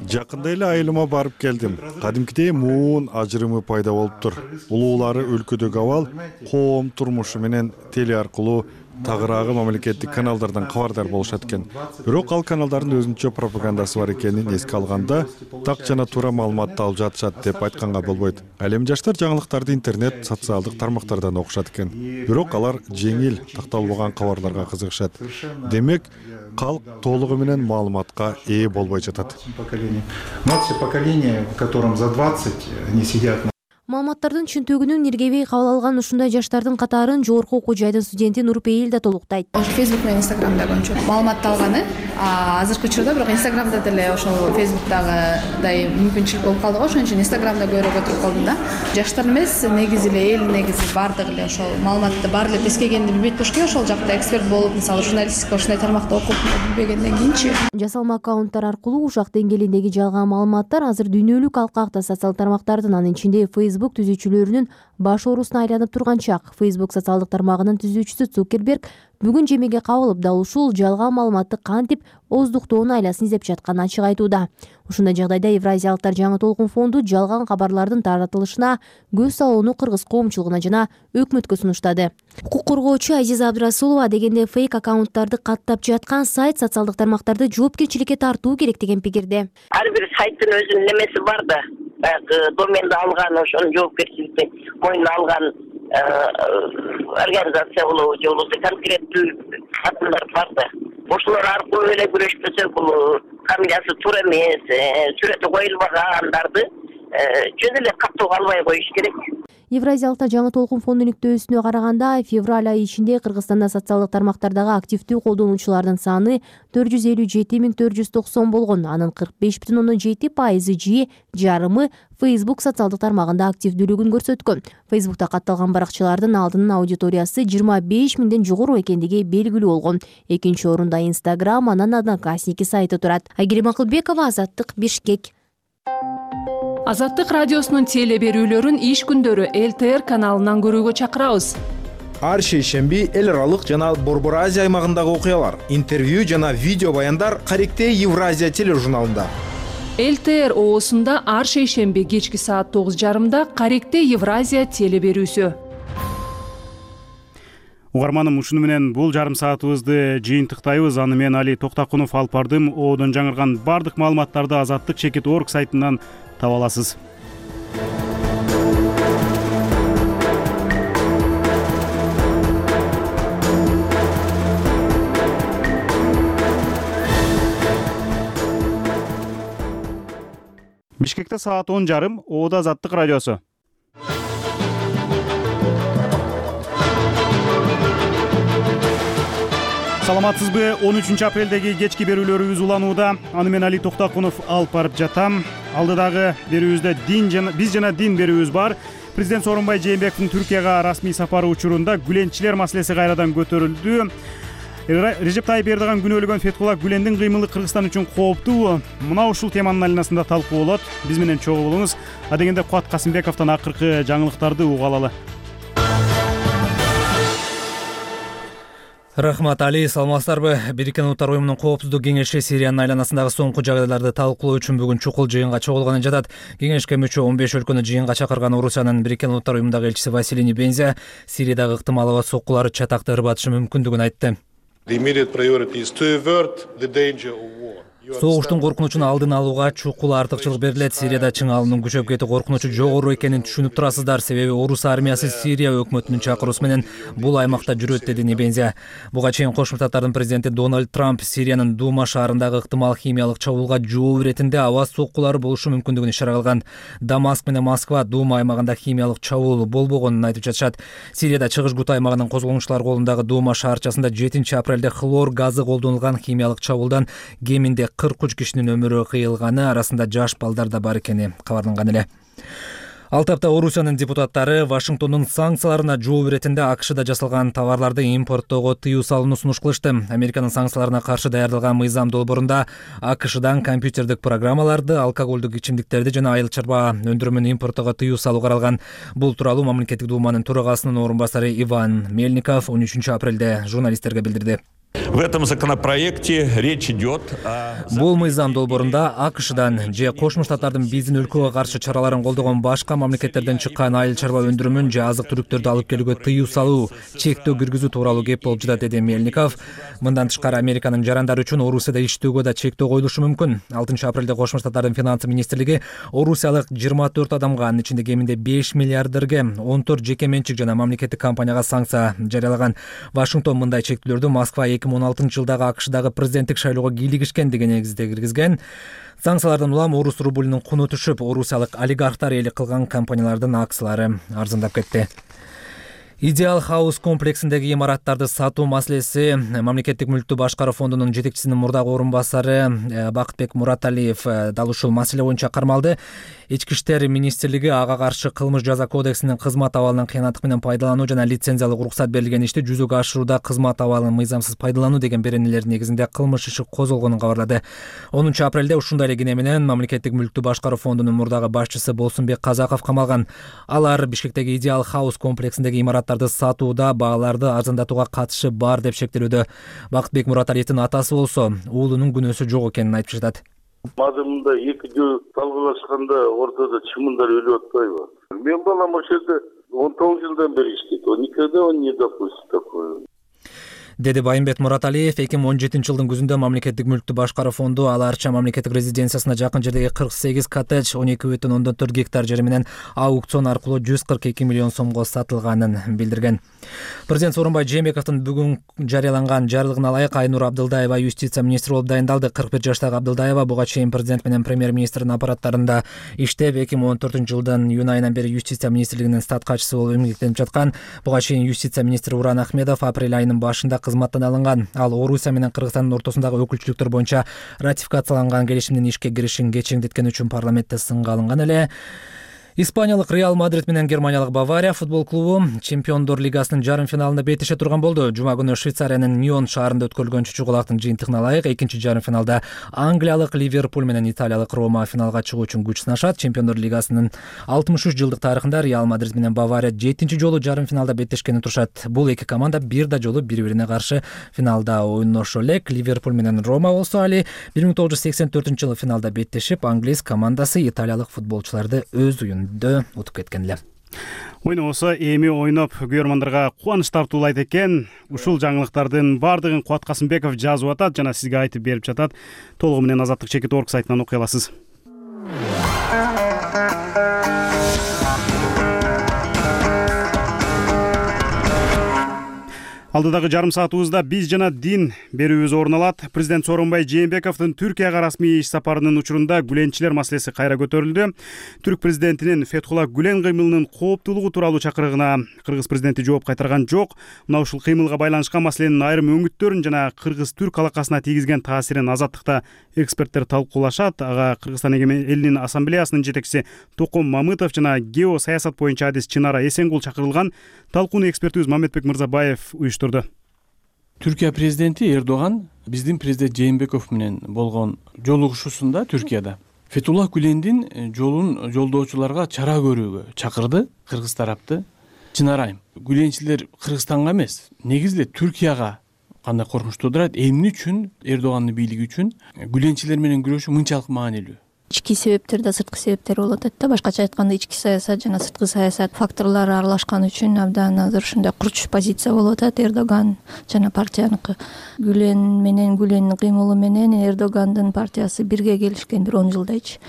Speaker 24: Жакында эле айылыма барып келдим. Кадимкидей муун ажырымы пайда болуптур. Улуулары өлкөдөгү абал, коом турмушу менен теле аркылуу тагыраагы мамлекеттик каналдардан кабардар болушат экен. Бирок ал каналдардын өзүнчө пропагандасы бар экенин эске алганда, так жана туура маалыматты алып жатышат деп айтканга болбойт. Ал эми жаштар жаңылыктарды интернет, социалдык тармактардан окушат экен. Бирок алар жеңил, такталбаган кабарларга кызыгышат. Демек, калк толугу менен маалыматка ээ болбой жатат.
Speaker 7: Все поколения, которым за 20 не сидят.
Speaker 5: Маалыматтардын чынтөгүнүн иргебей кабыл алган ушундай жаштардын катарын жогорку окуу жайдын студенти Нурпейил да толуктайт.
Speaker 25: Ошо Facebook менен Instagramда көбүнчө маалыматты алганы, азыркы учурда бирок Instagramда деле ошол Facebook'тагыдай мүмкүнчүлүк болуп калды го, ошон үчүн Instagramда көбүрөөк отуруп калдым да. Жаштар эмес, негизи эле эл негизи бардыгы эле ошол маалыматты баары эле тескегенди билбейт болушку, ошол жакта эксперт болуп, мисалы журналистика ушундай тармакта окуп билбегенден кийинчи.
Speaker 5: Жасалма аккаунттар аркылуу ушак деңгээлиндеги жалган маалыматтар азыр дүйнөлүк алкакта социалдык тармактардын, анын ичинде Facebook түзүүчүлөрүнүн баш оорусуна айланып турган чак. Facebook социалдык тармагынын түзүүчүсү Цукерберг бүгүн жемеге кабылып, дал ушул жалган маалыматты кантип оздуктоонун айласын издеп жатканын ачык айтууда. Ушундай жагдайда Евразиялыктар жаңы толкун фонду жалган кабарлардын таратылышына көз салууну кыргыз коомчулугуна жана өкмөткө сунуштады. Укук коргоочу Азиза Абдрасулова дегенде фейк аккаунттарды каттап жаткан сайт социалдык тармактарды жоопкерчиликке тартуу керек деген пикирде.
Speaker 26: Ар бир сайттын өзүнүн немеси бар да. Доменди алган, ошонун жоопкерчиликти мойнуна алган организация болобу же болбосо конкреттүү адамдар бар да. Ошолор аркылуу эле күрөшпөсө, бул фамилиясы туура эмес, сүрөтү коюлбагандарды жөн эле каттоого албай коюш керек.
Speaker 5: Евразиялыктар жаңы толкун фондунун иликтөөсүнө караганда, февраль айы ичинде Кыргызстанда социалдык тармактардагы активдүү колдонуучулардын саны 457.490 болгон. Анын 45,7% же жарымы Facebook социалдык тармагында активдүүлүгүн көрсөткөн. Facebook'та катталган баракчалардын алдынын аудиториясы 25.000ден жогору экендиги белгилүү болгон. Экинчи орунда Instagram, анан Одноклассники сайты турат. Айгерим Акылбекова, Азаттык, Бишкек.
Speaker 2: Азаттык радиосунун теле берүүлөрүн иш күндөрү ЛТР каналынан көрүүгө чакырабыз.
Speaker 8: Ар шейшемби эл аралык жана Борбор Азия аймагындагы окуялар, интервью жана видео баяндар Каректе Евразия тележурналында.
Speaker 2: ЛТР оосунда ар шейшемби кечки саат 9:30 Каректе Евразия теле берүүсү.
Speaker 1: Угарманым, ушуну менен бул жарым саатыбызды жыйынтыктайбыз. Аны мен Али Токтакунов алып бардым. Оодон жаңырган бардык маалыматтарды azatlyk.org сайтынан таба аласыз. Бишкекте саат 10:30, Оода Азаттык радиосу. Саламатсызбы? 13 апрелдеги кечки берүүлөрүбүз уланууда. Аны мен Али Токтакунов алып барып жатам. Алдыдагы берүүбүздө биз жана дин берүүбүз бар. Президент Сооронбай Жээнбековдун Түркияга расмий сапары учурунда Гүленчилер маселеси кайрадан көтөрүлдү. Режеп Тайип Эрдоган күнөөлөгөн Фетхулла Гүлендин кыймылы Кыргызстан үчүн кооптуу. Мына ушул теманын айланасында талкуу болот. Биз менен чогуу болуңуз. Адегенде Куат Касымбековдон акыркы жаңылыктарды угуп алалы.
Speaker 13: Рахмат, Али, саламатсыздарбы? Бириккен Улуттар уюмунун коопсуздук кеңеши Сириянын айланасындагы соңку жагдайларды талкуулоо үчүн бүгүн чукул жыйынга чогулганы жатат. Кеңешке мүчө 15 өлкөнү жыйынга чакырган Орусиянын Бириккен Улуттар уюмундагы элчиси Василий Небензя Сириядагы ыктымал аба соккулары чатакты ырбатышы мүмкүндүгүн айтты. Согуштун коркунучун алдын алууга чукул артыкчылык берилет. Сирияда чың алуунун күчөп кетүү коркунучу жогору экенин түшүнүп турасыздар. Себеби Орус армиясы Сирия өкмөтүнүн чакыруусу менен бул аймакта жүрөт, деди Небензя. Буга чейин Кошмо Штаттардын президенти Дональд Трамп Сириянын Дума шаарындагы ыктымал химиялык чабуулга жооп иретинде аба соккулары болушу мүмкүндүгүн ишара кылган. Дамаск менен Москва Дума аймагында химиялык чабуул болбогонун айтып жатышат. Сирияда чыгыш Гут аймагынын козголгучулар колундагы Дума шаарчасында 7 апрелде хлор газы колдонулган химиялык чабуулдан кеминде 43 кишинин өмүрү кыйылганы, арасында жаш балдар да бар экени кабарланган эле. Ал тапта Орусиянын депутаттары Вашингтондун санкцияларына жооп иретинде АКШда жасалган товарларды импорттоого тыюу салууну сунуш кылышты. Американын санкцияларына каршы даярдалган мыйзам долбоорунда АКШдан компьютердик программаларды, алкоголдук ичимдиктерди жана айыл чарба өндүрүмүн импорттоого тыюу салуу каралган. Бул тууралуу мамлекеттик дууманын төрагасынын орун басары Иван Мельников 13 апрелде журналисттерге билдирди.
Speaker 6: В этом законопроекте речь идет
Speaker 13: Бул мыйзам долбоорунда АКШдан же Кошмо Штаттардын биздин өлкөгө каршы чараларын колдогон башка мамлекеттерден чыккан айыл чарба өндүрүмүн же азык-түлүктөрдү алып келүүгө тыюу салуу, чектөө киргизүү тууралуу кеп болуп жатат, деди Мельников. Мындан тышкары Американын жарандары үчүн Орусияда иштөөгө да чектөө коюлушу мүмкүн. 6 апрелде Кошмо Штаттардын финансы министрлиги орусиялык 24 адамга, анын ичинде кеминде 5 миллиардерге 14 жеке менчик жана мамлекеттик компанияга санкция жарыялаган. Вашингтон мындай чектөөлөрдү Москва 2016 жылдагы АКШдагы президенттик шайлоого кийлигишкен деген негизде киргизген. Санкциялардан улам орус рублунун куну түшүп, орусиялык олигархтар ээлик кылган компаниялардын акциялары арзандап кетти. Идеал Хаус комплексиндеги имараттарды сатуу маселеси мамлекеттик мүлктү башкаруу фондунун жетекчисинин мурдагы орун басары Бакытбек Мураталиев дал ушул маселе боюнча кармалды. Ички иштер министрлиги ага каршы кылмыш жаза кодексинин кызмат абалынан кыянаттык менен пайдалануу жана лицензиялык уруксат берилген ишти жүзөгө ашырууда кызмат абалын мыйзамсыз пайдалануу деген беренелер негизинде кылмыш иши козголгонун кабарлады. 10 апрелде ушундай эле кине менен мамлекеттик мүлктү башкаруу фондунун мурдагы башчысы Болсунбек Казаков камалган. Алар Бишкектеги Идеал Хаус комплексиндеги имараттарды сатууда бааларды арзандатууга катышы бар деп шектелүүдө. Бакытбек Мураталиевдин атасы болсо уулунун күнөөсү жок экенин айтып жатат.
Speaker 9: Мазымында 2 жыл талкуулашканда ортодо чымындар өлүп атпайбы? Мен балам ошол жерде 19 жылдан бери иштейт. Никогда он не допустит такое.
Speaker 13: Деди Байымбет Мураталиев 2017 жылдын күзүндө мамлекеттик мүлктү башкаруу фонду Аларча мамлекеттик резиденциясына жакын жердеги 48 коттедж 12,4 гектар жери менен аукцион аркылуу 142 миллион сомго сатылганын билдирген. Президент Сооронбай Жээнбековдун бүгүн жарыяланган жарлыгына ылайык Айнур Абдылдаева юстиция министри болуп дайындалды. 41 жаштагы Абдылдаева буга чейин президент менен премьер-министрдин аппараттарында иштеп, 2014 жылдын июнь айынан бери юстиция министрлигинин статкачысы болуп эмгектенип жаткан. Буга чейин юстиция министри Уран Ахмедов апрель айынын башында кызматтан алынган. Ал Орусия менен Кыргызстандын ортосундагы өкүлчүлүктөр боюнча ратификацияланган келишимдин ишке киришин кечеңдеткени үчүн парламентте сынга алынган эле.
Speaker 10: Испаниялык Реал Мадрид менен Германиялык Бавария футбол клубу Чемпиондор лигасынын жарым финалында беттеше турган болду. Жума күнү Швейцариянын Ньон шаарында өткөрүлгөн чучугулактын жыйынтыгына ылайык экинчи жарым финалда англиялык Ливерпуль менен италиялык Рома финалга чыгуу үчүн күч сынашат. Чемпиондор лигасынын 63 жылдык тарыхында Реал Мадрид менен Бавария 7-чи жолу жарым финалда беттешкени турушат. Бул эки команда бир да жолу бири-бирине каршы финалда ойношо элек. Ливерпуль менен Рома болсо али 1984-жылы финалда беттешип, англис командасы италиялык футболчуларды өз уюнда утуп кеткен эле.
Speaker 1: Ойносо эми ойноп көрөрмандарга кубаныч тартуулайт экен. Ушул жаңылыктардын бардыгын Кубат Касымбеков жазып атат жана сизге айтып берип жатат. Толугу менен Азаттык.org сайтынан окуй аласыз. Алдыдагы жарым саатыбызда биз жана дин берүүбүз орун алат. Президент Сооронбай Жээнбековдун Түркияга расмий иш сапарынын учурунда гүленчилер маселеси кайра көтөрүлдү. Түрк президентинин Фетхулла Гүлен кыймылынын кооптуулугу тууралуу чакырыгына кыргыз президенти жооп кайтарган жок. Мына ушул кыймылга байланышкан маселенин айрым өңүттөрүн жана кыргыз-түрк алакасына тийгизген таасирин Азаттыкта эксперттер талкуулашат. Ага Кыргызстан элинин ассамблеясынын жетекчиси Током Мамытов жана гео саясат боюнча адис Чынара Эсенгул чакырылган. Талкууну экспертибиз Мамедбек Мырзабаев уюштурду.
Speaker 11: Түркия президенти Эрдоган биздин президент Жээнбеков менен болгон жолугушуусунда Түркияда Фетхулла Гүлендин жолун жолдоочуларга чара көрүүгө чакырды кыргыз тарапты. Чынарайым, гүленчилер Кыргызстанга эмес, негизи эле Түркияга кандай коркунуч туудурат, эмне үчүн Эрдогандын бийлиги үчүн гүленчилер менен күрөшүү мынчалык маанилүү?
Speaker 12: Ички себептер да сырткы себептер болуп атат да. Башкача айтканда ички саясат жана сырткы саясат факторлору аралашкан үчүн абдан азыр ушундай курч позиция болуп атат Эрдоган жана партияныкы. Гүлен менен Гүлендин кыймылы менен Эрдогандын партиясы бирге келишкен бир 10 жылдайчы.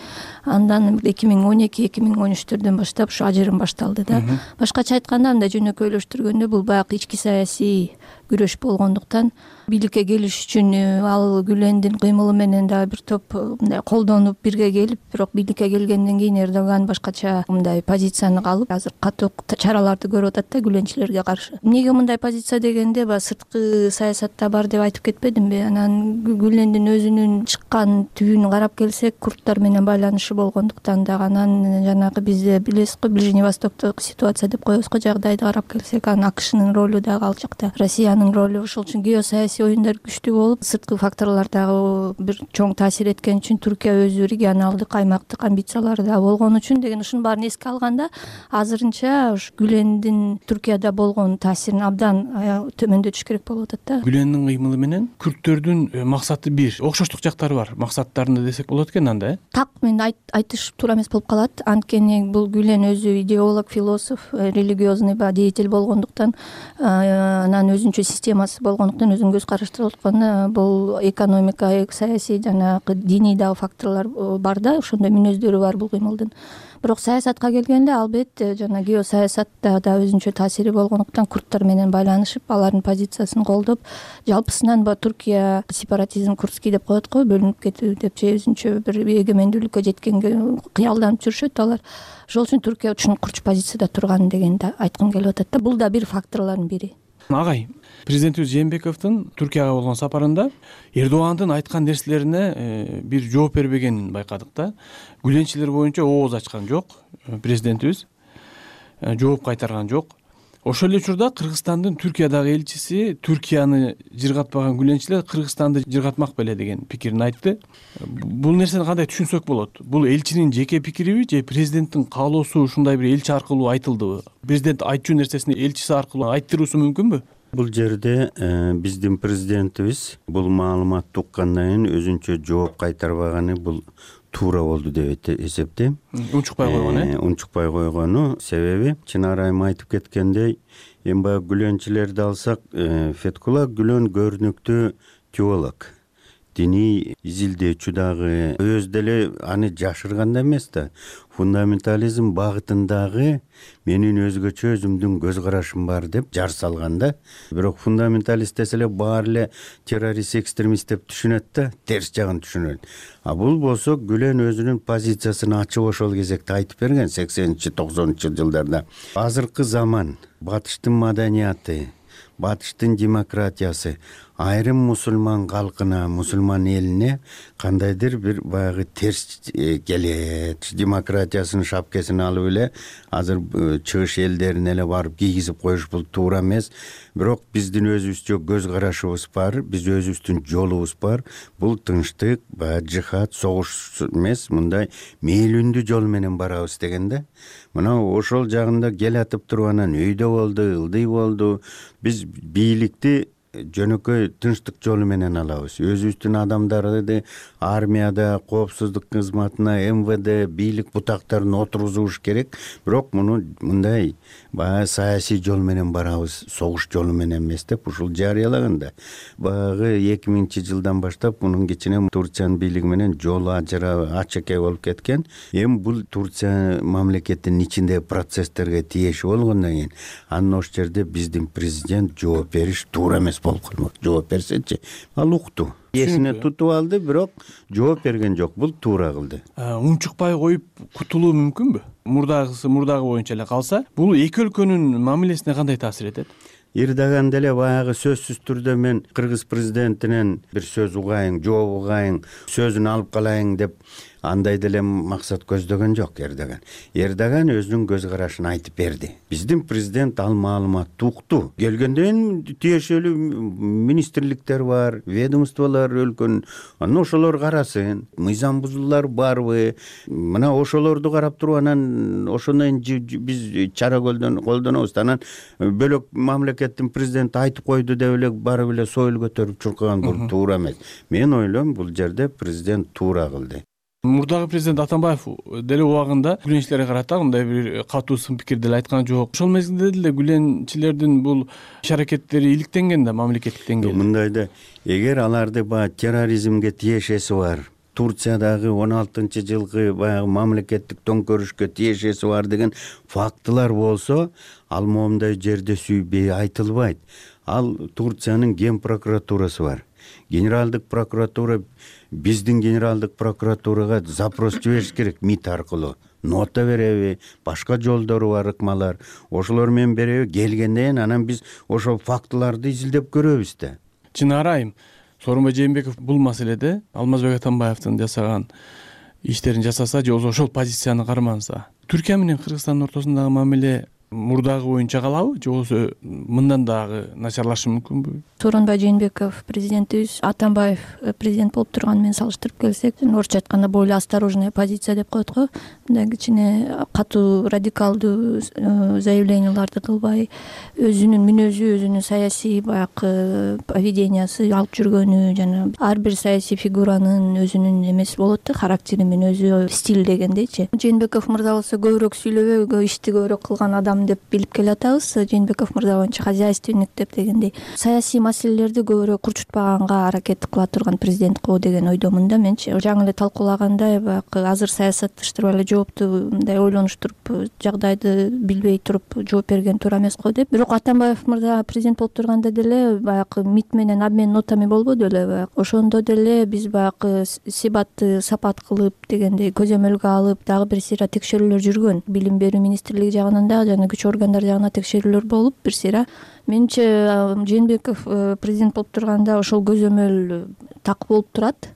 Speaker 12: Андан 2012-2013-төрдөн баштап ушу ажырым башталды да. Башкача айтканда мындай жөнөкөйлөштүргөндө бул баягы ички саясий күрөш болгондуктан бийликке келиш үчүн ал Гүлендин кыймылы менен дагы бир топ мындай колдонуп бирге келип, бирок бийликке келгенден кийин Эрдоган башкача мындай позицияны алып, азыр катуу чараларды көрүп атат да гүленчилерге каршы. Эмнеге мындай позиция дегенде, сырткы саясатта бар деп айтып кетпедимби? Анан Гүлендин өзүнүн чыккан түбүн карап келсек, курдтар менен байланышы болгондуктан дагы, анан жанагы бизде билесиз го, Ближний Востоктогу ситуация деп коебуз го, жагдайды карап келсек, анан АКШнын ролу дагы ал жакта, Россиянын ролу. Ошол үчүн геосаясий оюндар күчтүү болуп, сырткы факторлор дагы бир чоң таасир эткен үчүн Түркия өзү регионалдык, аймактык амбициялары да болгон үчүн деген ушунун баарын эске алганда, азырынча ушу Гүлендин Түркияда болгон таасирин абдан төмөндөтүш керек болуп атат да.
Speaker 11: Гүлендин кыймылы менен күрттөрдүн максаты бир, окшоштук жактары бар, максаттарында десек болот экен анда.
Speaker 12: Так, мен айтыш туура эмес болуп калат. Анткени бул Гүлен өзү идеолог, философ, религиозный деятель болгондуктан, анан өзүнчө системасы болгондуктан, өзүнүн көз караштары болгондуктан, бул экономика, саясий жана диний дагы факторлор бар да, ошондой мүнөздөрү бар бул кыймылдын. Бирок саясатка келгенде, албетте жана геосаясатта да өзүнчө таасири болгондуктан, курдтар менен байланышып, алардын позициясын колдоп, жалпысынан Түркия сепаратизм курдский деп коет го, бөлүнүп кетүү деп же өзүнчө бир эгемендүүлүккө жеткенге кыялданып жүрүшөт алар. Ошол үчүн Түркия ушун курч позицияда турган дегенди айткым келип атат да. Бул да бир факторлордун бири.
Speaker 11: Агай, президентибиз Жээнбековдун Түркияга болгон сапарында Эрдогандын айткан нерселерине бир жооп бербегенин байкадык да. Гүленчилер боюнча ооз ачкан жок президентибиз, жооп кайтарган жок. Ошол эле учурда Кыргызстандын Түркиядагы элчиси Түркияны жыргатпаган гүленчилер Кыргызстанды жыргатмак беле деген пикирин айтты. Бул нерсени кандай түшүнсөк болот? Бул элчинин жеке пикириби же президенттин каалоосу ушундай бир элчи аркылуу айтылдыбы? Президент айтчу нерсесин элчиси аркылуу айттыруусу мүмкүнбү?
Speaker 14: Бул жерде биздин президентибиз бул маалыматты уккандан кийин өзүнчө жооп кайтарбаганы бул туура болду деп эсептейм.
Speaker 11: Унчукпай койгону,
Speaker 14: унчукпай койгону себеби Чынарайым айтып кеткендей, эми баягы гүленчилерди алсак, Фетхулла Гүлен көрүнүктүү теолог, диний изилдөөчү дагы, өз деле аны жашырган да эмес да. Фундаментализм багытындагы менин өзгөчө өзүмдүн көз карашым бар деп жар салган да. Бирок фундаменталист десе эле баары эле террорист, экстремист деп түшүнөт да, терс жагын түшүнөт. А бул болсо Гүлен өзүнүн позициясын ачык ошол кезекте айтып берген 80-90 жылдарда. Азыркы заман, батыштын маданияты, батыштын демократиясы айрым мусулман калкына, мусулман элине кандайдыр бир баягы терс келет. Демократиясынын шапкесин алып эле азыр чыгыш элдерин эле барып кийгизип коюш бул туура эмес. Бирок биздин өзүбүзчө көз карашыбыз бар, биз өзүбүздүн жолубуз бар. Бул тынчтык, баягы жихад, согуш эмес, мындай мээлүндүү жол менен барабыз дегенде. Мына ошол жагында келатып туруп анан өйдө болду, ылдый болду. Биз бийликти жөнөкөй тынчтык жолу менен алабыз. Өзүбүздүн адамдарды армияда, коопсуздук кызматына, МВД, бийлик бутактарын отургузуш керек. Бирок муну мындай баягы саясий жол менен барабыз, согуш жолу менен эмес деп ушул жарыялаганда. Баягы 2000-жылдан баштап мунун кичине Турциянын бийлиги менен жол ачык болуп кеткен. Эми бул Турция мамлекетинин ичиндеги процесстерге тиеши болгондон кийин анын ошол жерде биздин президент жооп бериш туура эмес болуп калмак. Жооп берсечи, ал укту. Эсине тутуп алды, бирок жооп берген жок. Бул туура кылды.
Speaker 11: Унчукпай коюп кутулуу мүмкүнбү? Мурдагы боюнча эле калса, бул эки өлкөнүн мамилесине кандай таасир этет?
Speaker 14: Ирдаган деле баягы сөзсүз түрдө мен кыргыз президентинен бир сөз угайын, жооп угайын, сөзүн алып калайын деп андай деле максат көздөгөн жок Эрдоган. Эрдоган өзүнүн көз карашын айтып берди. Биздин президент ал маалыматты укту. Келгенден тиешелүү министрликтер бар, ведомстволор өлкөнүн. Анан ошолор карасын, мыйзам бузуулар барбы? Мына ошолорду карап туруп анан ошондон биз чара колдонобуз. Анан бөлөк мамлекеттин президенти айтып койду деп эле барып эле союл көтөрүп чуркаган бул туура эмес. Мен ойлойм бул жерде президент туура кылды.
Speaker 11: Мурдагы президент Атамбаев деле убагында гүленчилерге карата мындай бир катуу сын пикир деле айткан жок. Ошол мезгилде деле гүленчилердин бул иш-аракеттери иликтенген да мамлекеттик деңгээлде.
Speaker 14: Мындай да, эгер аларды баягы терроризмге тиешеси бар, Турциядагы 16-жылкы баягы мамлекеттик төңкөрүшкө тиешеси бар деген фактылар болсо, ал моундай жерде сүйбөй айтылбайт. Ал Турциянын ген прокуратурасы бар. Генералдык прокуратура биздин генералдык прокуратурага запрос жибериш керек МИД аркылуу. Нота береби, башка жолдору бар ыкмалар. Ошолор менен береби, келгенден анан биз ошол фактыларды изилдеп көрөбүз да.
Speaker 11: Чынара айым, Сооронбай Жээнбеков бул маселеде Алмазбек Атамбаевдин жасаган иштерин жасаса же ошол позицияны карманса, Түркия менен Кыргызстандын ортосундагы мамиле мурдагы боюнча калабы же болбосо мындан дагы начарлашы мүмкүнбү?
Speaker 12: Сооронбай Жээнбеков президентибиз Атамбаев президент болуп турганы менен салыштырып келсек, орусча айтканда более осторожная позиция деп коет го. Мындай кичине катуу радикалдуу заявленияларды кылбай, өзүнүн мүнөзү, өзүнүн саясий баягы поведениясы алып жүргөнү жана ар бир саясий фигуранын өзүнүн эмеси болот да, характери менен өзү стиль дегендейчи. Жээнбеков мырза болсо көбүрөөк сүйлөбөй, ишти көбүрөөк кылган адам деп билип келатабыз. Жээнбеков мырза боюнча хозяйственник деп дегендей саясий маселелерди көбүрөөк курчутпаганга аракет кыла турган президент го деген ойдомун да менчи. Жаңы эле талкуулагандай баягы азыр саясатташтырып эле жоопту мындай ойлонуштуруп жагдайды билбей туруп жооп берген туура эмес го деп. Бирок Атамбаев мырза президент болуп турганда деле баягы МИД менен обмен нотами болбоду эле баягы. Ошондо деле биз баягы себатты сапат кылып дегендей көзөмөлгө алып дагы бир сыйра текшерүүлөр жүргөн. Билим берүү министрлиги жагынан да жана күч органдары жагынан текшерүүлөр болуп бир сыйра. Менимче Жээнбеков президент болуп турганда ошол көзөмөл так болуп турат.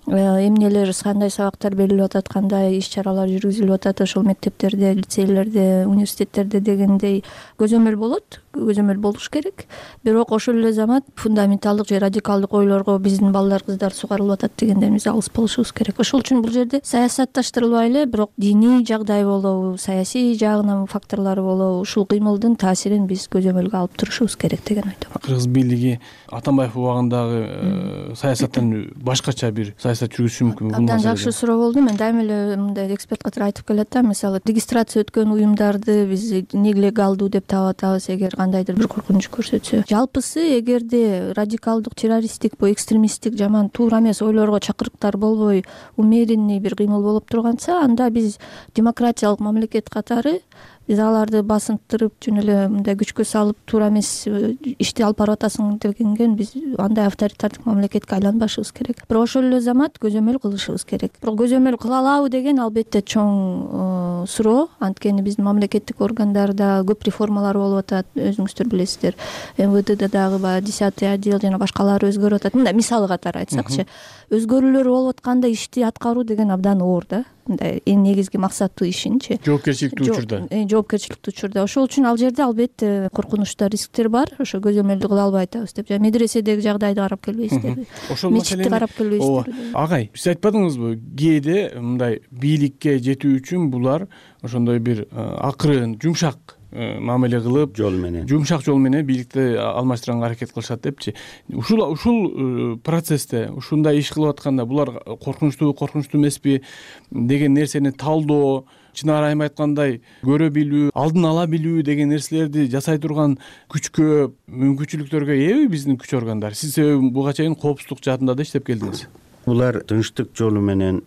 Speaker 12: Эмнелер, кандай сабактар берилип атат, кандай иш-чаралар жүргүзүлүп атат ошол мектептерде, лицейлерде, университеттерде дегендей көзөмөл болот. Көзөмөл болуш керек. Бирок ошол эле замат фундаменталдык же радикалдык ойлорго биздин балдар, кыздар сугарылып атат дегендерибиз алыс болушубуз керек. Ошол үчүн бул жерде саясатташтырылбай эле, бирок диний жагдай болобу, саясий жагынан факторлору болобу, ушул кыймылдын таасирин биз көзөмөлгө алып турушубуз керек деген ойдомун.
Speaker 11: Кыргыз бийлиги Атамбаев убагындагы саясаттан башкача бир саясат жүргүзүшү мүмкүнбү?
Speaker 12: Абдан жакшы суроо болду. Мен дайыма эле мындай эксперт катары айтып келет да, мисалы регистрация өткөн уюмдарды биз нелегалдуу деп таап атабыз эгер кандайдыр бир коркунуч көрсөтсө. Жалпысы эгерде радикалдык, террористтик, экстремисттик жаман туура эмес ойлорго чакырыктар болбой, умеренный бир кыймыл болуп турганса, анда биз демократиялык мамлекет катары биз аларды басынтырып жөн эле мындай күчкө салып туура эмес ишти алып барып атасың дегенген биз андай авторитардык мамлекетке айланбашыбыз керек. Бирок ошол эле замат көзөмөл кылышыбыз керек. Бирок көзөмөл кыла алабы деген албетте чоң суроо. Анткени биздин мамлекеттик органдарда көп реформалар болуп атат, өзүңүздөр билесиздер. МВДда дагы баягы 10-й отдел жана башкалары өзгөрүп атат. Мындай мисал катары айтсакчы, өзгөрүүлөр болуп атканда ишти аткаруу деген абдан оор да. Мындай эң негизги максаты ишинчи.
Speaker 11: Жоопкерчиликтүү учурда.
Speaker 12: Жоопкерчиликтүү учурда. Ошол үчүн ал жерде албетте коркунучтар, рисктер бар. Ошо көзөмөлдү кыла албай атабыз деп. Жана медреседеги жагдайды карап келбейсиздерби?
Speaker 11: Ошол
Speaker 12: мечитти карап келбейсиздерби?
Speaker 11: Агай, сиз айтпадыңызбы, кээде мындай бийликке жетүү үчүн булар ошондой бир акырын, жумшак мамиле кылып, жумшак жол менен бийликти алмаштырганга аракет кылышат депчи. Ушул процессте, ушундай иш кылып атканда булар коркунучтуу эмеспи деген нерсени талдоо, Чынар айым айткандай көрө билүү, алдын ала билүү деген нерселерди жасай турган күчкө, мүмкүнчүлүктөргө ээби биздин күч органдар. Сиз буга чейин коопсуздук жаатында да иштеп келдиңиз.
Speaker 14: Булар тынчтык жолу менен,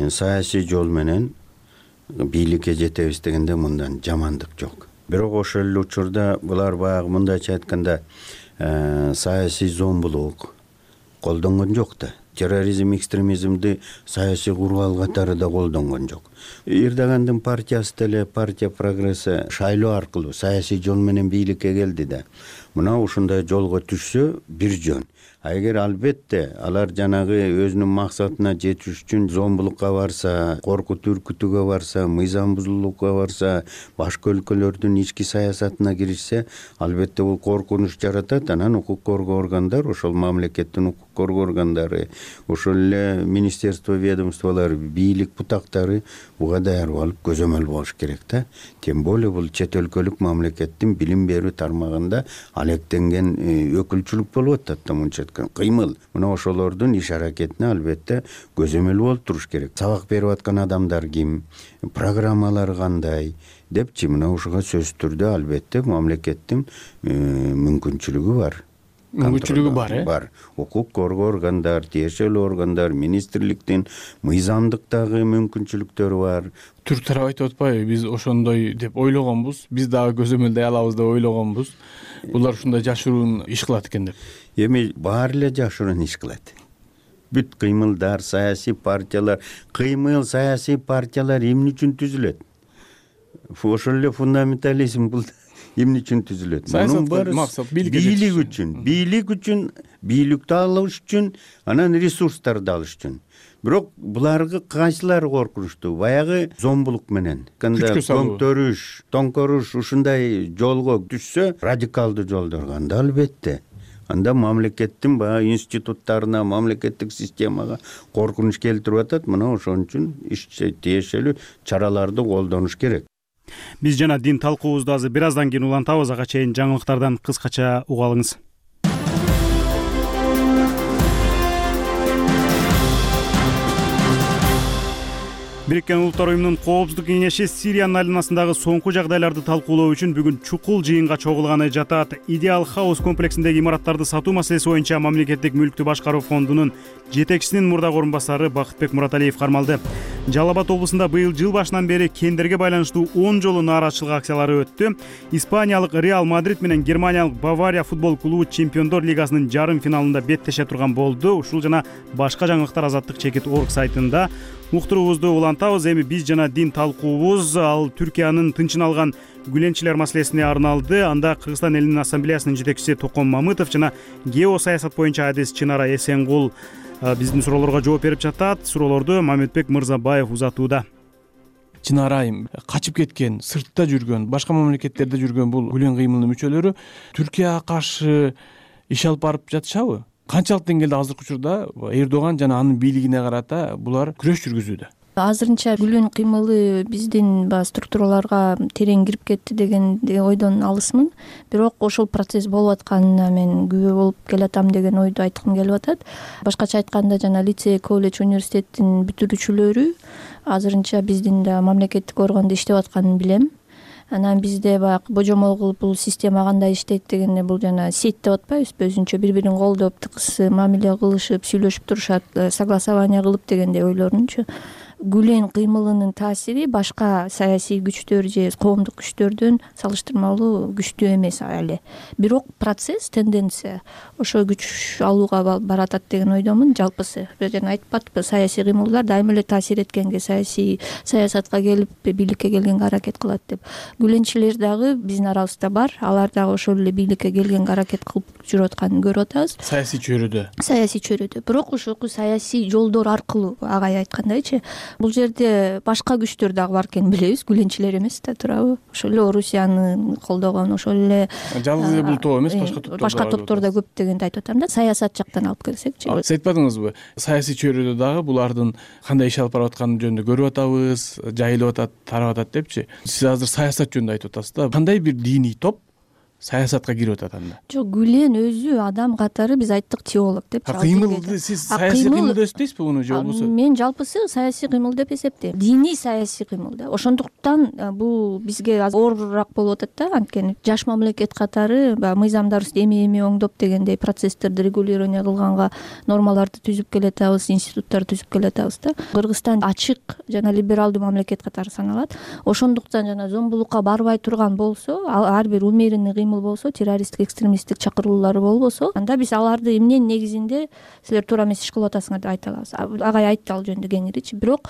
Speaker 14: саясий жол менен бийликке жетебиз дегенде мындан жамандык жок. Бирок ошол эле учурда булар баягы мындайча айтканда саясий зомбулук колдонгон жок да. Терроризм, экстремизмди саясий кургал катары да колдонгон жок. Эрдогандын партиясы деле, партия прогресси шайлоо аркылуу саясий жол менен бийликке келди да. Мына ушундай жолго түшсө бир жөн. Эгер албетте алар жанагы өзүнүн максатына жетиш үчүн зомбулукка барса, коркутуу үркүтүүгө барса, мыйзам бузуулукка барса, башка өлкөлөрдүн ички саясатына киришсе, албетте бул коркунуч жаратат. Анан укук коргоо органдар, ошол мамлекеттин укук коргоо органдары, ошол эле министерство, ведомстволор, бийлик бутактары буга даярдык алып көзөмөл болуш керек да. Тем более бул чет өлкөлүк мамлекеттин билим берүү тармагында алектенген өкүлчүлүк болуп атат да, мынча кыймыл. Мына ошолордун иш аракетине албетте көзөмөл болуп туруш керек. Сабак берип аткан адамдар ким, программалар кандай депчи, мына ушуга сөзсүз түрдө албетте мамлекеттин мүмкүнчүлүгү бар.
Speaker 11: Бар.
Speaker 14: Укук коргоо органдар, тиешелүү органдар, министрликтин мыйзамдыктагы мүмкүнчүлүктөрү бар.
Speaker 11: Түрк тарап айтып атпайбы, биз ошондой деп ойлогонбуз, биз дагы көзөмөлдөй алабыз деп ойлогонбуз. Булар ушундай жашыруун иш кылат экен деп.
Speaker 14: Эми баары эле жашыруун иш кылат. Бүт кыймылдар, саясий партиялар, саясий партиялар эмне үчүн түзүлөт? Ошол эле фундаментализм бул эмне үчүн түзүлөт?
Speaker 11: Саясат максат
Speaker 14: бийлик үчүн, бийликти алыш үчүн, анан ресурстарды алыш үчүн. Бирок буларга кайсылары коркунучтуу? Баягы зомбулук менен, тоңторуш ушундай жолго түшсө, радикалдуу жолдорго анда албетте. Анда мамлекеттин баягы институттарына, мамлекеттик системага коркунуч келтирип атат. Мына ошон үчүн тиешелүү чараларды колдонуш керек.
Speaker 1: Биз жана дин талкуубузду азыр бир аздан кийин улантабыз. Ага чейин жаңылыктардан кыскача угалыңыз. Бириккен Улуттар уюмунун Коопсуздук кеңеши Сириянын айланасындагы соңку жагдайларды талкуулоо үчүн бүгүн чукул жыйынга чогулганы жатат. Идеал Хаус комплексиндеги имараттарды сатуу маселеси боюнча мамлекеттик мүлктү башкаруу фондунун жетекчисинин мурдагы орун басары Бакытбек Мураталиев кармалды. Жалал Абад облусунда быйыл жыл башынан бери кендерге байланыштуу 10 жолу нааразычылык акциялары өттү. Испаниялык Реал Мадрид менен Германиялык Бавария футбол клубу Чемпиондор лигасынын жарым финалында беттеше турган болду. Ушул жана башка жаңылыктар Азаттык чекит орг сайтында. Уктуруубузду улантабыз. Эми биз жана дин талкуубуз ал Түркиянын тынчын алган гүленчилер маселесине арналды. Анда Кыргызстан элинин ассамблеясынын жетекчиси Токон Мамытов жана геосаясат боюнча адис Чынара Эсенгул биздин суроолорго жооп берип жатат. Суроолорду Мамытбек Мырзабаев узатууда.
Speaker 11: Чынар айым качып кеткен, сыртта жүргөн, башка мамлекеттерде жүргөн бул гүлен кыймылдын мүчөлөрү Түркияга каршы иш алып барып жатышабы? Канчалык деңгээлде азыркы учурда Эрдоган жана анын бийлигине карата булар күрөш жүргүзүүдө?
Speaker 12: Азырынча гүлөн кыймылы биздин структураларга терең кирип кетти деген ойдон алысмын. Бирок ошол процесс болуп атканына мен күбө болуп келатам деген ойду айткым келип атат. Башкача айтканда жана лицей, колледж, университеттин бүтүрүүчүлөрү азырынча биздин да мамлекеттик органда иштеп атканын билем. Анан бизде баягы божомол кылып бул система кандай иштейт дегенде бул жана сеть деп атпайбызбы, өзүнчө бири-бирин колдоп, тыкыз мамиле кылышып, сүйлөшүп турушат, согласование кылып дегендей ойлорунчу. гүлен кыймылынын таасири башка саясий күчтөр же коомдук күчтөрдөн салыштырмалуу күчтүү эмес эле. Бирок процесс, тенденция ошо күч алууга баратат деген ойдомун. Жалпысы жана айтып атпы, саясий кыймылдар дайыма эле таасир эткенге, саясатка келип бийликке келгенге аракет кылат деп. Гүленчилер дагы биздин арабызда бар. Алар дагы ошол эле бийликке келгенге аракет кылып жүрүп атканын көрүп атабыз.
Speaker 11: Саясий чөйрөдө. Бирок
Speaker 12: ошол саясий жолдор аркылуу, агай айткандайчы, бул жерде башка күчтөр дагы бар экенин билебиз. Гүленчилер эмес да, туурабы? Ошол эле Орусияны колдогон, ошол эле
Speaker 11: жалгыз эле бул топ эмес,
Speaker 12: башка топтор да көп дегенди айтып атам да. Саясат жактан алып келсекчи.
Speaker 11: Сиз айтпадыңызбы? Саясий чөйрөдө дагы булардын кандай иш алып барып атканы жөнүндө көрүп атабыз, жайылып атат, тарап атат депчи. Сиз азыр саясат жөнүндө айтып атасыз да. Кандай бир диний топ саясатка кирип атат анда?
Speaker 12: Жок, Гүлен өзү адам катары биз айттык теолог деп.
Speaker 11: Кыймылды сиз саясий кыймыл дейсизби муну же болбосо?
Speaker 12: Мен жалпысы саясий кыймыл деп эсептейм. Диний саясий кыймыл да. Ошондуктан бул бизге оорураак болуп атат да, анткени жаш мамлекет катары мыйзамдарыбызды эми оңдоп дегендей процесстерди регулирование кылганга нормаларды түзүп келатабыз, институттарды түзүп келатабыз да. Кыргызстан ачык жана либералдуу мамлекет катары саналат. Ошондуктан жана зомбулукка барбай турган болсо, ар бир умеренный кыймыл болсо, террористтик, экстремисттик чакыруулары болбосо, анда биз аларды эмненин негизинде силер туура эмес иш кылып атасыңар деп айта алабыз. Агай айтты ал жөнүндө кеңиричи. Бирок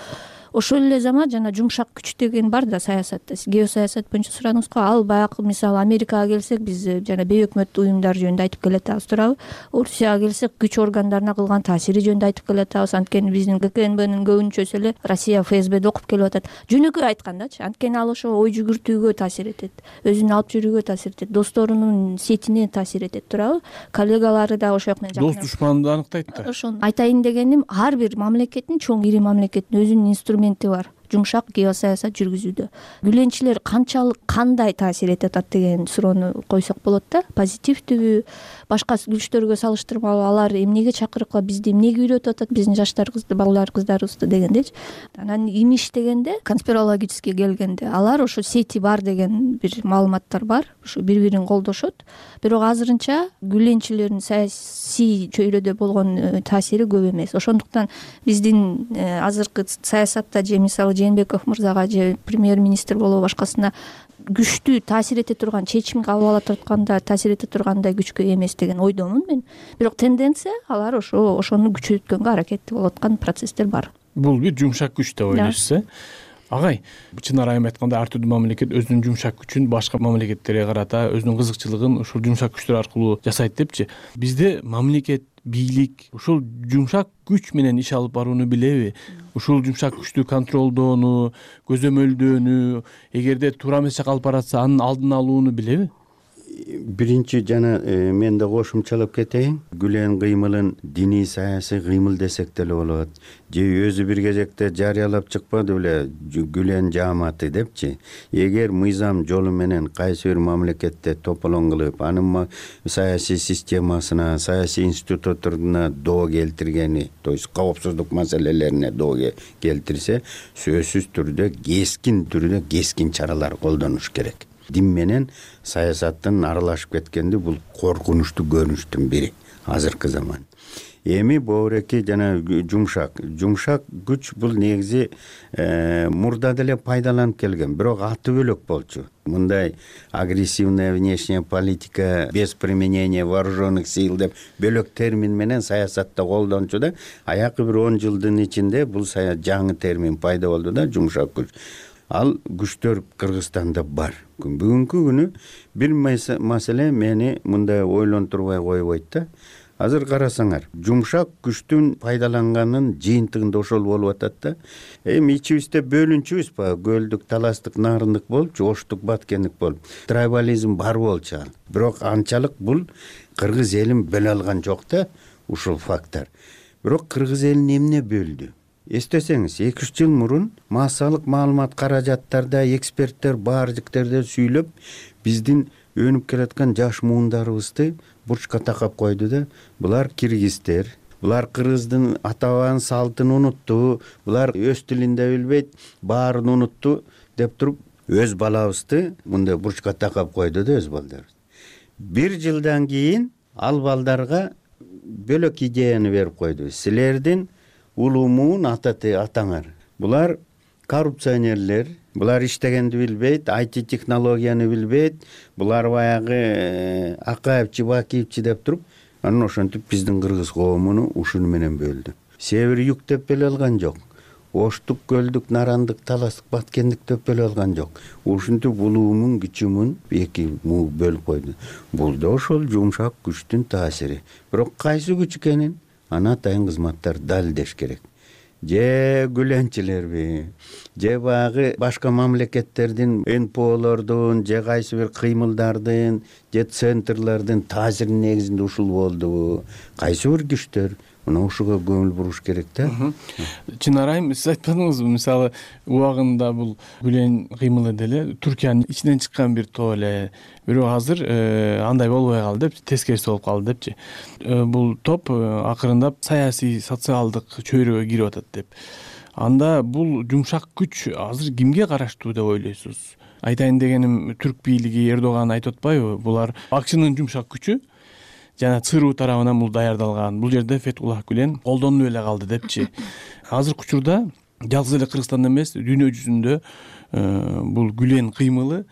Speaker 12: ошол эле замат жана жумшак күч деген бар да саясатта. Сиз геосаясат боюнча сурадыңыз го. Ал баягы мисалы Америкага келсек, биз жана бейөкмөт уюмдар жөнүндө айтып келатабыз, туурабы? Орусияга келсек, күч органдарына кылган таасири жөнүндө айтып келатабыз. Анткени биздин ККНБнын көбүнчөсү эле Россия ФСБде окуп келип атат. Жөнөкөй айткандачы, анткени ал ошо ой жүгүртүүгө таасир этет, өзүн алып жүрүүгө таасир этет, досторунун сетине таасир этет, туурабы? Коллегалары да ошол менен
Speaker 11: дос душманды анықтайт да.
Speaker 12: Ошону айтайын дегеним, ар бир мамлекеттин, чоң ири мамлекеттин өзүнүн инструменти бар жумшак геосаясат жүргүзүүдө. Гүленчилер канчалык, кандай таасир этет деген суроону койсок болот да. Позитивдүүбү, башка күчтөргө салыштырмалуу алар эмнеге чакырыкла, бизди эмнеге үйрөтүп атат, биздин жаштарыбызды, балдар, кыздарыбызды дегендечи. Анан имиш дегенде, конспирологически келгенде, алар ошо сети бар деген бир маалыматтар бар. Ошо бири-бирин колдошот. Бирок азырынча гүленчилердин саясий чөйрөдө болгон таасири көп эмес. Ошондуктан биздин азыркы саясатта же мисалы Жээнбеков мырзага же премьер-министр болобу башкасына күчтүү таасир эте турган, чечим кабыл ала турганда таасир эте тургандай күчкө эмес деген ойдомун мен. Бирок тенденция алар ошону күчөткөнгө аракетти болуп аткан процесстер бар.
Speaker 11: Бул бир жумшак күч деп ойлойсуз, э? Агай, чынар айым айтканда ар түрдүү мамлекет өзүнүн жумшак күчүн башка мамлекеттерге карата өзүнүн кызыкчылыгын ушул жумшак күчтөр аркылуу жасайт депчи. Бизде мамлекет, бийлик ушул жумшак күч менен иш алып барууну билеби? Ушул жумшак күчтү контролдоону, көзөмөлдөөнү, эгерде туура эмес жака алып баратса, анын алдын алууну билеби?
Speaker 14: Биринчи жана мен да кошумчалап кетейин. Гүлен кыймылын диний саясий кыймыл десек деле болот. Же өзү бир кезекте жарыялап чыкпады беле Гүлен жааматы депчи. Эгер мыйзам жолу менен кайсы бир мамлекетте тополоң кылып, анын саясий системасына, саясий институттарына доо келтиргени, то есть коопсуздук маселелерине доо келтирсе, сөзсүз түрдө кескин чаралар колдонуш керек. Дин менен саясаттын аралашып кеткенди бул коркунучтуу көрүнүштүн бири азыркы заман. Эми боореки жана жумшак күч бул негизи мурда деле пайдаланып келген, бирок аты бөлөк болчу. Мындай агрессивная внешняя политика без применения вооруженных сил деп бөлөк термин менен саясатта колдончу да, аякы бир 10 жылдын ичинде бул жаңы термин пайда болду да, жумшак күч. Ал күчтөр Кыргызстанда бар. Бүгүнкү күнү бир маселе мени мындай ойлонтурбай койбойт да. Азыр карасаңар, жумшак күчтүн пайдаланганын жыйынтыгында ошол болуп атат да. Эми ичибизде бөлүнчүбүз ба, көлдүк, таластык, нарындык болуп, оштук, баткендик болуп, трайбализм бар болчу ал. Бирок анчалык бул кыргыз элин бөлө алган жок да, ушул фактор. Бирок кыргыз элин эмне бөлдү? Эстесеңиз, 2-3 жыл мурун массалык маалымат каражаттарда эксперттер баар жиктерде сүйлөп, биздин өнүп келаткан жаш муундарыбызды бурчка такап койду да. Булар киргиздер, булар кыргыздын ата-бабанын салтын унутту, булар өз тилин да билбейт, баарын унутту деп туруп, өз балабызды мындай бурчка такап койду да өз балдарыбыз. 1 жылдан кийин ал балдарга бөлөк идеяны берип койду. Силердин улуу муун атаңар. булар коррупционерлер, булар иштегенди билбейт, IT технологияны билбейт, булар баягы Акаев, Чебакиевчи деп туруп, анан ошентип биздин кыргыз коомуну ушуну менен бөлдү. Север юг деп эле алган жок. Оштук, көлдүк, нарандык, таластык, баткендик деп эле алган жок. Ушинтип улуумун, күчүмүн эки бөлүп койду. Бул да ошол жумшак күчтүн таасири. Бирок кайсы күч экенин аны атайын кызматтар далилдеш керек. Же гүленчилерби, же баягы башка мамлекеттердин НПОлордун, же кайсы бир кыймылдардын, же центрлардын таасиринин негизинде ушул болдубу? Кайсы бир күчтөр? Мына ушуга көңүл буруш керек да.
Speaker 11: Чынар айым, сиз айтпадыңызбы, мисалы убагында бул гүлен кыймылы деле Түркиянын ичинен чыккан бир топ эле, бирок азыр андай болбой калды деп, тескериси болуп калды депчи. Бул топ акырындап саясий, социалдык чөйрөгө кирип атат деп. Анда бул жумшак күч азыр кимге караштуу деп ойлойсуз? Айтайын дегеним, түрк бийлиги, Эрдоган айтып атпайбы? Булар АКШнын жумшак күчү жана ЦРУ тарабынан бул даярдалган. Бул жерде Фетхуллах Гүлен колдонуп эле калды депчи. Азыркы учурда жалгыз эле Кыргызстанда эмес, дүйнө жүзүндө бул Гүлен кыймылы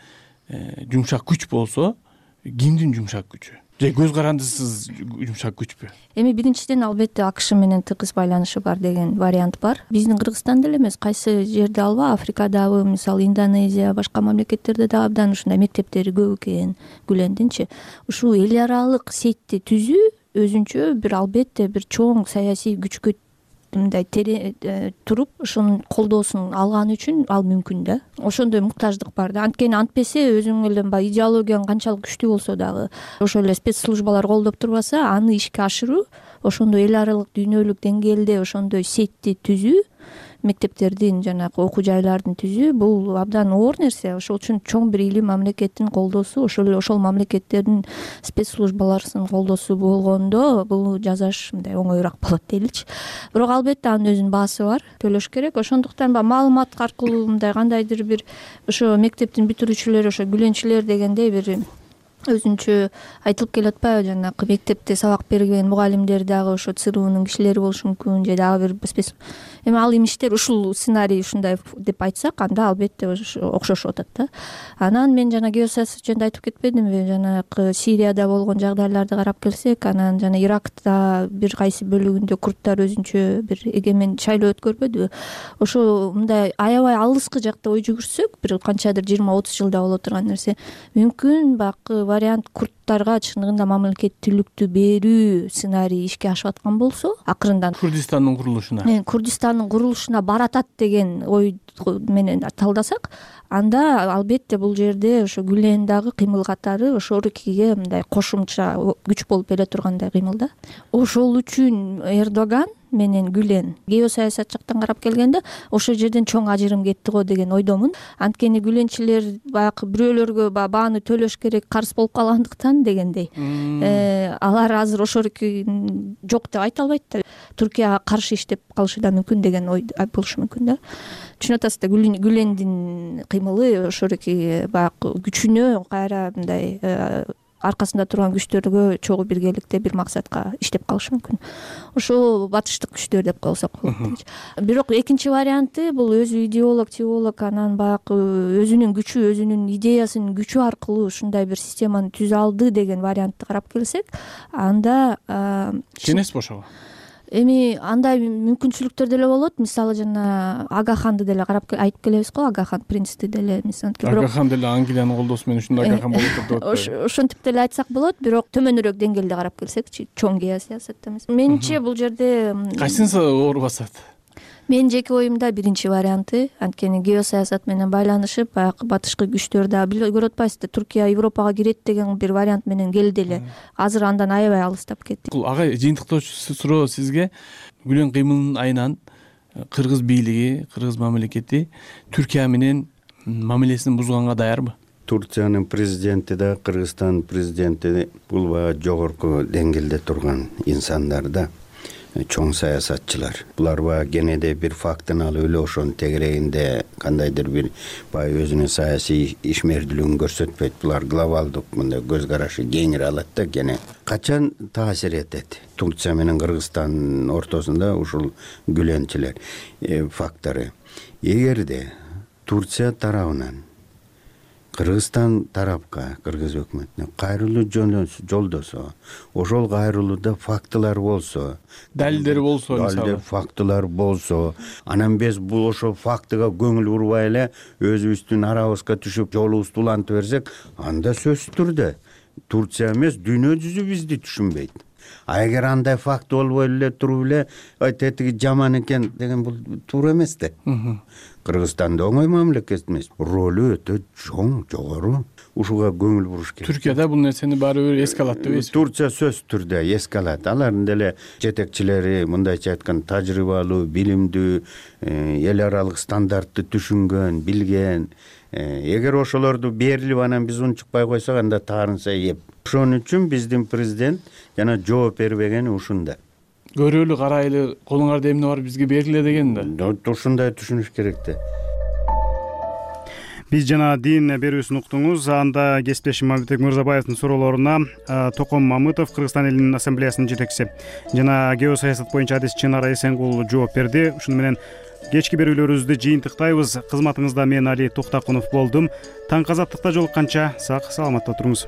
Speaker 11: жумшак күч болсо, кимдин жумшак күчү? Же көз карандысыз жумшак күчпү?
Speaker 12: Эми биринчиден албетте АКШ менен тыгыз байланышы бар деген вариант бар. Биздин Кыргызстанда эле эмес, кайсы жерде алба, Африкадагы, мисалы Индонезия, башка мамлекеттерде да абдан ушундай мектептери көп экен Гүлендинчи. Ушул эл аралык сетти түзүү өзүнчө бир албетте бир чоң саясий күчкө мындай туруп ошонун колдоосун алган үчүн ал мүмкүн да. Ошондой муктаждык бар да. Анткени антпесе өзүң эле баягы идеологияң канчалык күчтүү болсо дагы, ошол эле спецслужбалар колдоп турбаса, аны ишке ашыруу, ошондой эл аралык дүйнөлүк деңгээлде ошондой сетти түзүү, мектептердин жанагы окуу жайлардын түзүү, бул абдан оор нерсе. Ошол үчүн чоң бир илим мамлекеттин колдоосу, ошол мамлекеттердин спецслужбаларынын колдоосу болгондо бул жасаш мындай оңоюраак болот дейли. Бирок албетте анын өзүнүн баасы бар, төлөш керек. Ошондуктан маалымат аркылуу мындай кандайдыр бир ошо мектептин бүтүрүүчүлөрү, ошо гүленчилер дегендей бир өзүнчө айтылып келип атпайбы, жанагы мектепте сабак берген мугалимдер дагы ошо ЦРУнун кишилери болушу мүмкүн, же дагы бир эми ал имиштер ушул сценарий ушундай деп айтсак, анда албетте окшошуп атат да. Анан мен жана геосаясат жөнүндө айтып кетпедимби, жанагы Сирияда болгон жагдайларды карап келсек, анан жана Иракта бир кайсы бөлүгүндө курдтар өзүнчө бир эгемен шайлоо өткөрбөдүбү? Ошо мындай аябай алыскы жакта ой жүгүрсөк, бир канчадыр 20-30 жылда боло турган нерсе, мүмкүн бакы вариант курдтарга чындыгында мамлекеттүүлүктү берүү сценарий ишке ашып аткан болсо, акырындан Курдистандын курулушуна баратат деген ой менен талдасак, анда албетте бул жерде ошо Гүлен дагы кыймыл катары ошол экиге мындай кошумча күч болуп бере тургандай кыймыл да. Ошол үчүн Эрдоган менен Гүлен геосаясат жактан карап келгенде ошол жерден чоң ажырым кетти го деген ойдомун. Анткени гүленчилер баягы бирөөлөргө бааны төлөш керек, карыз болуп калгандыктан дегендей. Алар азыр ошол жок деп айта албайт да. Түркияга каршы иштеп калышы да мүмкүн деген ой болушу мүмкүн да. Түшүнүп атасыз да, Гүлендин кыймылы ошол баягы күчүнө кайра мындай аркасында турган күчтөргө чогуу биргеликте бир максатка иштеп калышы мүмкүн. Ошол батыштык күчтөр деп коесак болот. Бирок экинчи варианты бул өзү идеолог, теолог, анан баягы өзүнүн күчү, өзүнүн идеясынын күчү аркылуу ушундай бир системаны түзө алды деген вариантты карап келсек, анда
Speaker 11: кенес бошого.
Speaker 12: Эми андай мүмкүнчүлүктөр деле болот. Мисалы жана Агаханды деле карап айтып келебиз го, Агахан принцти деле мисалы.
Speaker 11: Агахан деле Англиянын колдоосу менен ушундай Агахан болуп турду деп атпайбы?
Speaker 12: Ошентип деле айтсак болот, бирок төмөнүрөөк деңгээлде карап келсекчи, чоң геосаясатта эмес. Менимче бул жерде
Speaker 11: кайсынысы оор басат?
Speaker 12: Менин жеке оюмда биринчи варианты, анткени геосаясат менен байланышып, баягы батышкы күчтөр да көрүп атпайсызбы, Түркия Европага кирет деген бир вариант менен келди эле. Азыр андан аябай алыстап кетти.
Speaker 11: Агай, жыйынтыктоочу суроо сизге. Гүлен кыймылынын айынан кыргыз бийлиги, кыргыз мамлекети Түркия менен мамилесин бузганга даярбы?
Speaker 14: Турциянын президенти да, Кыргызстандын президенти бул баягы жогорку деңгээлде турган инсандар да. Чоң саясатчылар. Булар баягы кенеде бир фактын алып эле ошонун тегерегинде кандайдыр бир баягы өзүнүн саясий ишмердүүлүгүн көрсөтпөйт. Булар глобалдык мындай көз карашы кеңири алат да, кене качан таасир этет. Турция менен Кыргызстандын ортосунда ушул гүленчилер фактору. эгерде Турция тарабынан Кыргызстан тарапка, Кыргыз өкмөтүнө кайрылуу жолдосо, ошол кайрылууда фактылар болсо,
Speaker 11: далилдер болсо,
Speaker 14: мисалы фактылар болсо, анан биз бул ошол фактыга көңүл бурбай эле өзүбүздүн арабызга түшүп жолубузду улантып берсек, анда сөзсүз түрдө Турция эмес, дүйнө жүзү бизди түшүнбөйт. А эгер андай факт болбой эле туруп эле тетиги жаман экен деген бул туура эмес да. Кыргызстан да оңой мамлекет эмес. Ролу өтө чоң, жогору. Ушуга көңүл буруш керек.
Speaker 11: Түркияда бул нерсени баары бир эске алат дейбиз.
Speaker 14: Турция сөзсүз түрдө эске алат. Алардын деле жетекчилери мындайча айтканда тажрыйбалуу, билимдүү, эл аралык стандартты түшүнгөн, билген. Эгер ошолорду берилип анан биз унчукпай койсок, анда таарынса еп. Ошон үчүн биздин президент жана жооп бербегени ушунда.
Speaker 11: Көрөлү, карайлы, колуңарда эмне бар бизге бергиле деген да.
Speaker 14: Ушундай түшүнүш керек да.
Speaker 1: Биз жана дин берүүсүн уктуңуз. Анда кесиптешим Мамбетбек Мырзабаевдин суроолоруна Током Мамытов, Кыргызстан элинин ассамблеясынын жетекчиси жана геосаясат боюнча адис Чынара Эсенгул жооп берди. Ушуну менен кечки берүүлөрүбүздү жыйынтыктайбыз. Кызматыңызда мен Али Токтакунов болдум. Таң азаттыкта жолукканча сак саламатта туруңуз.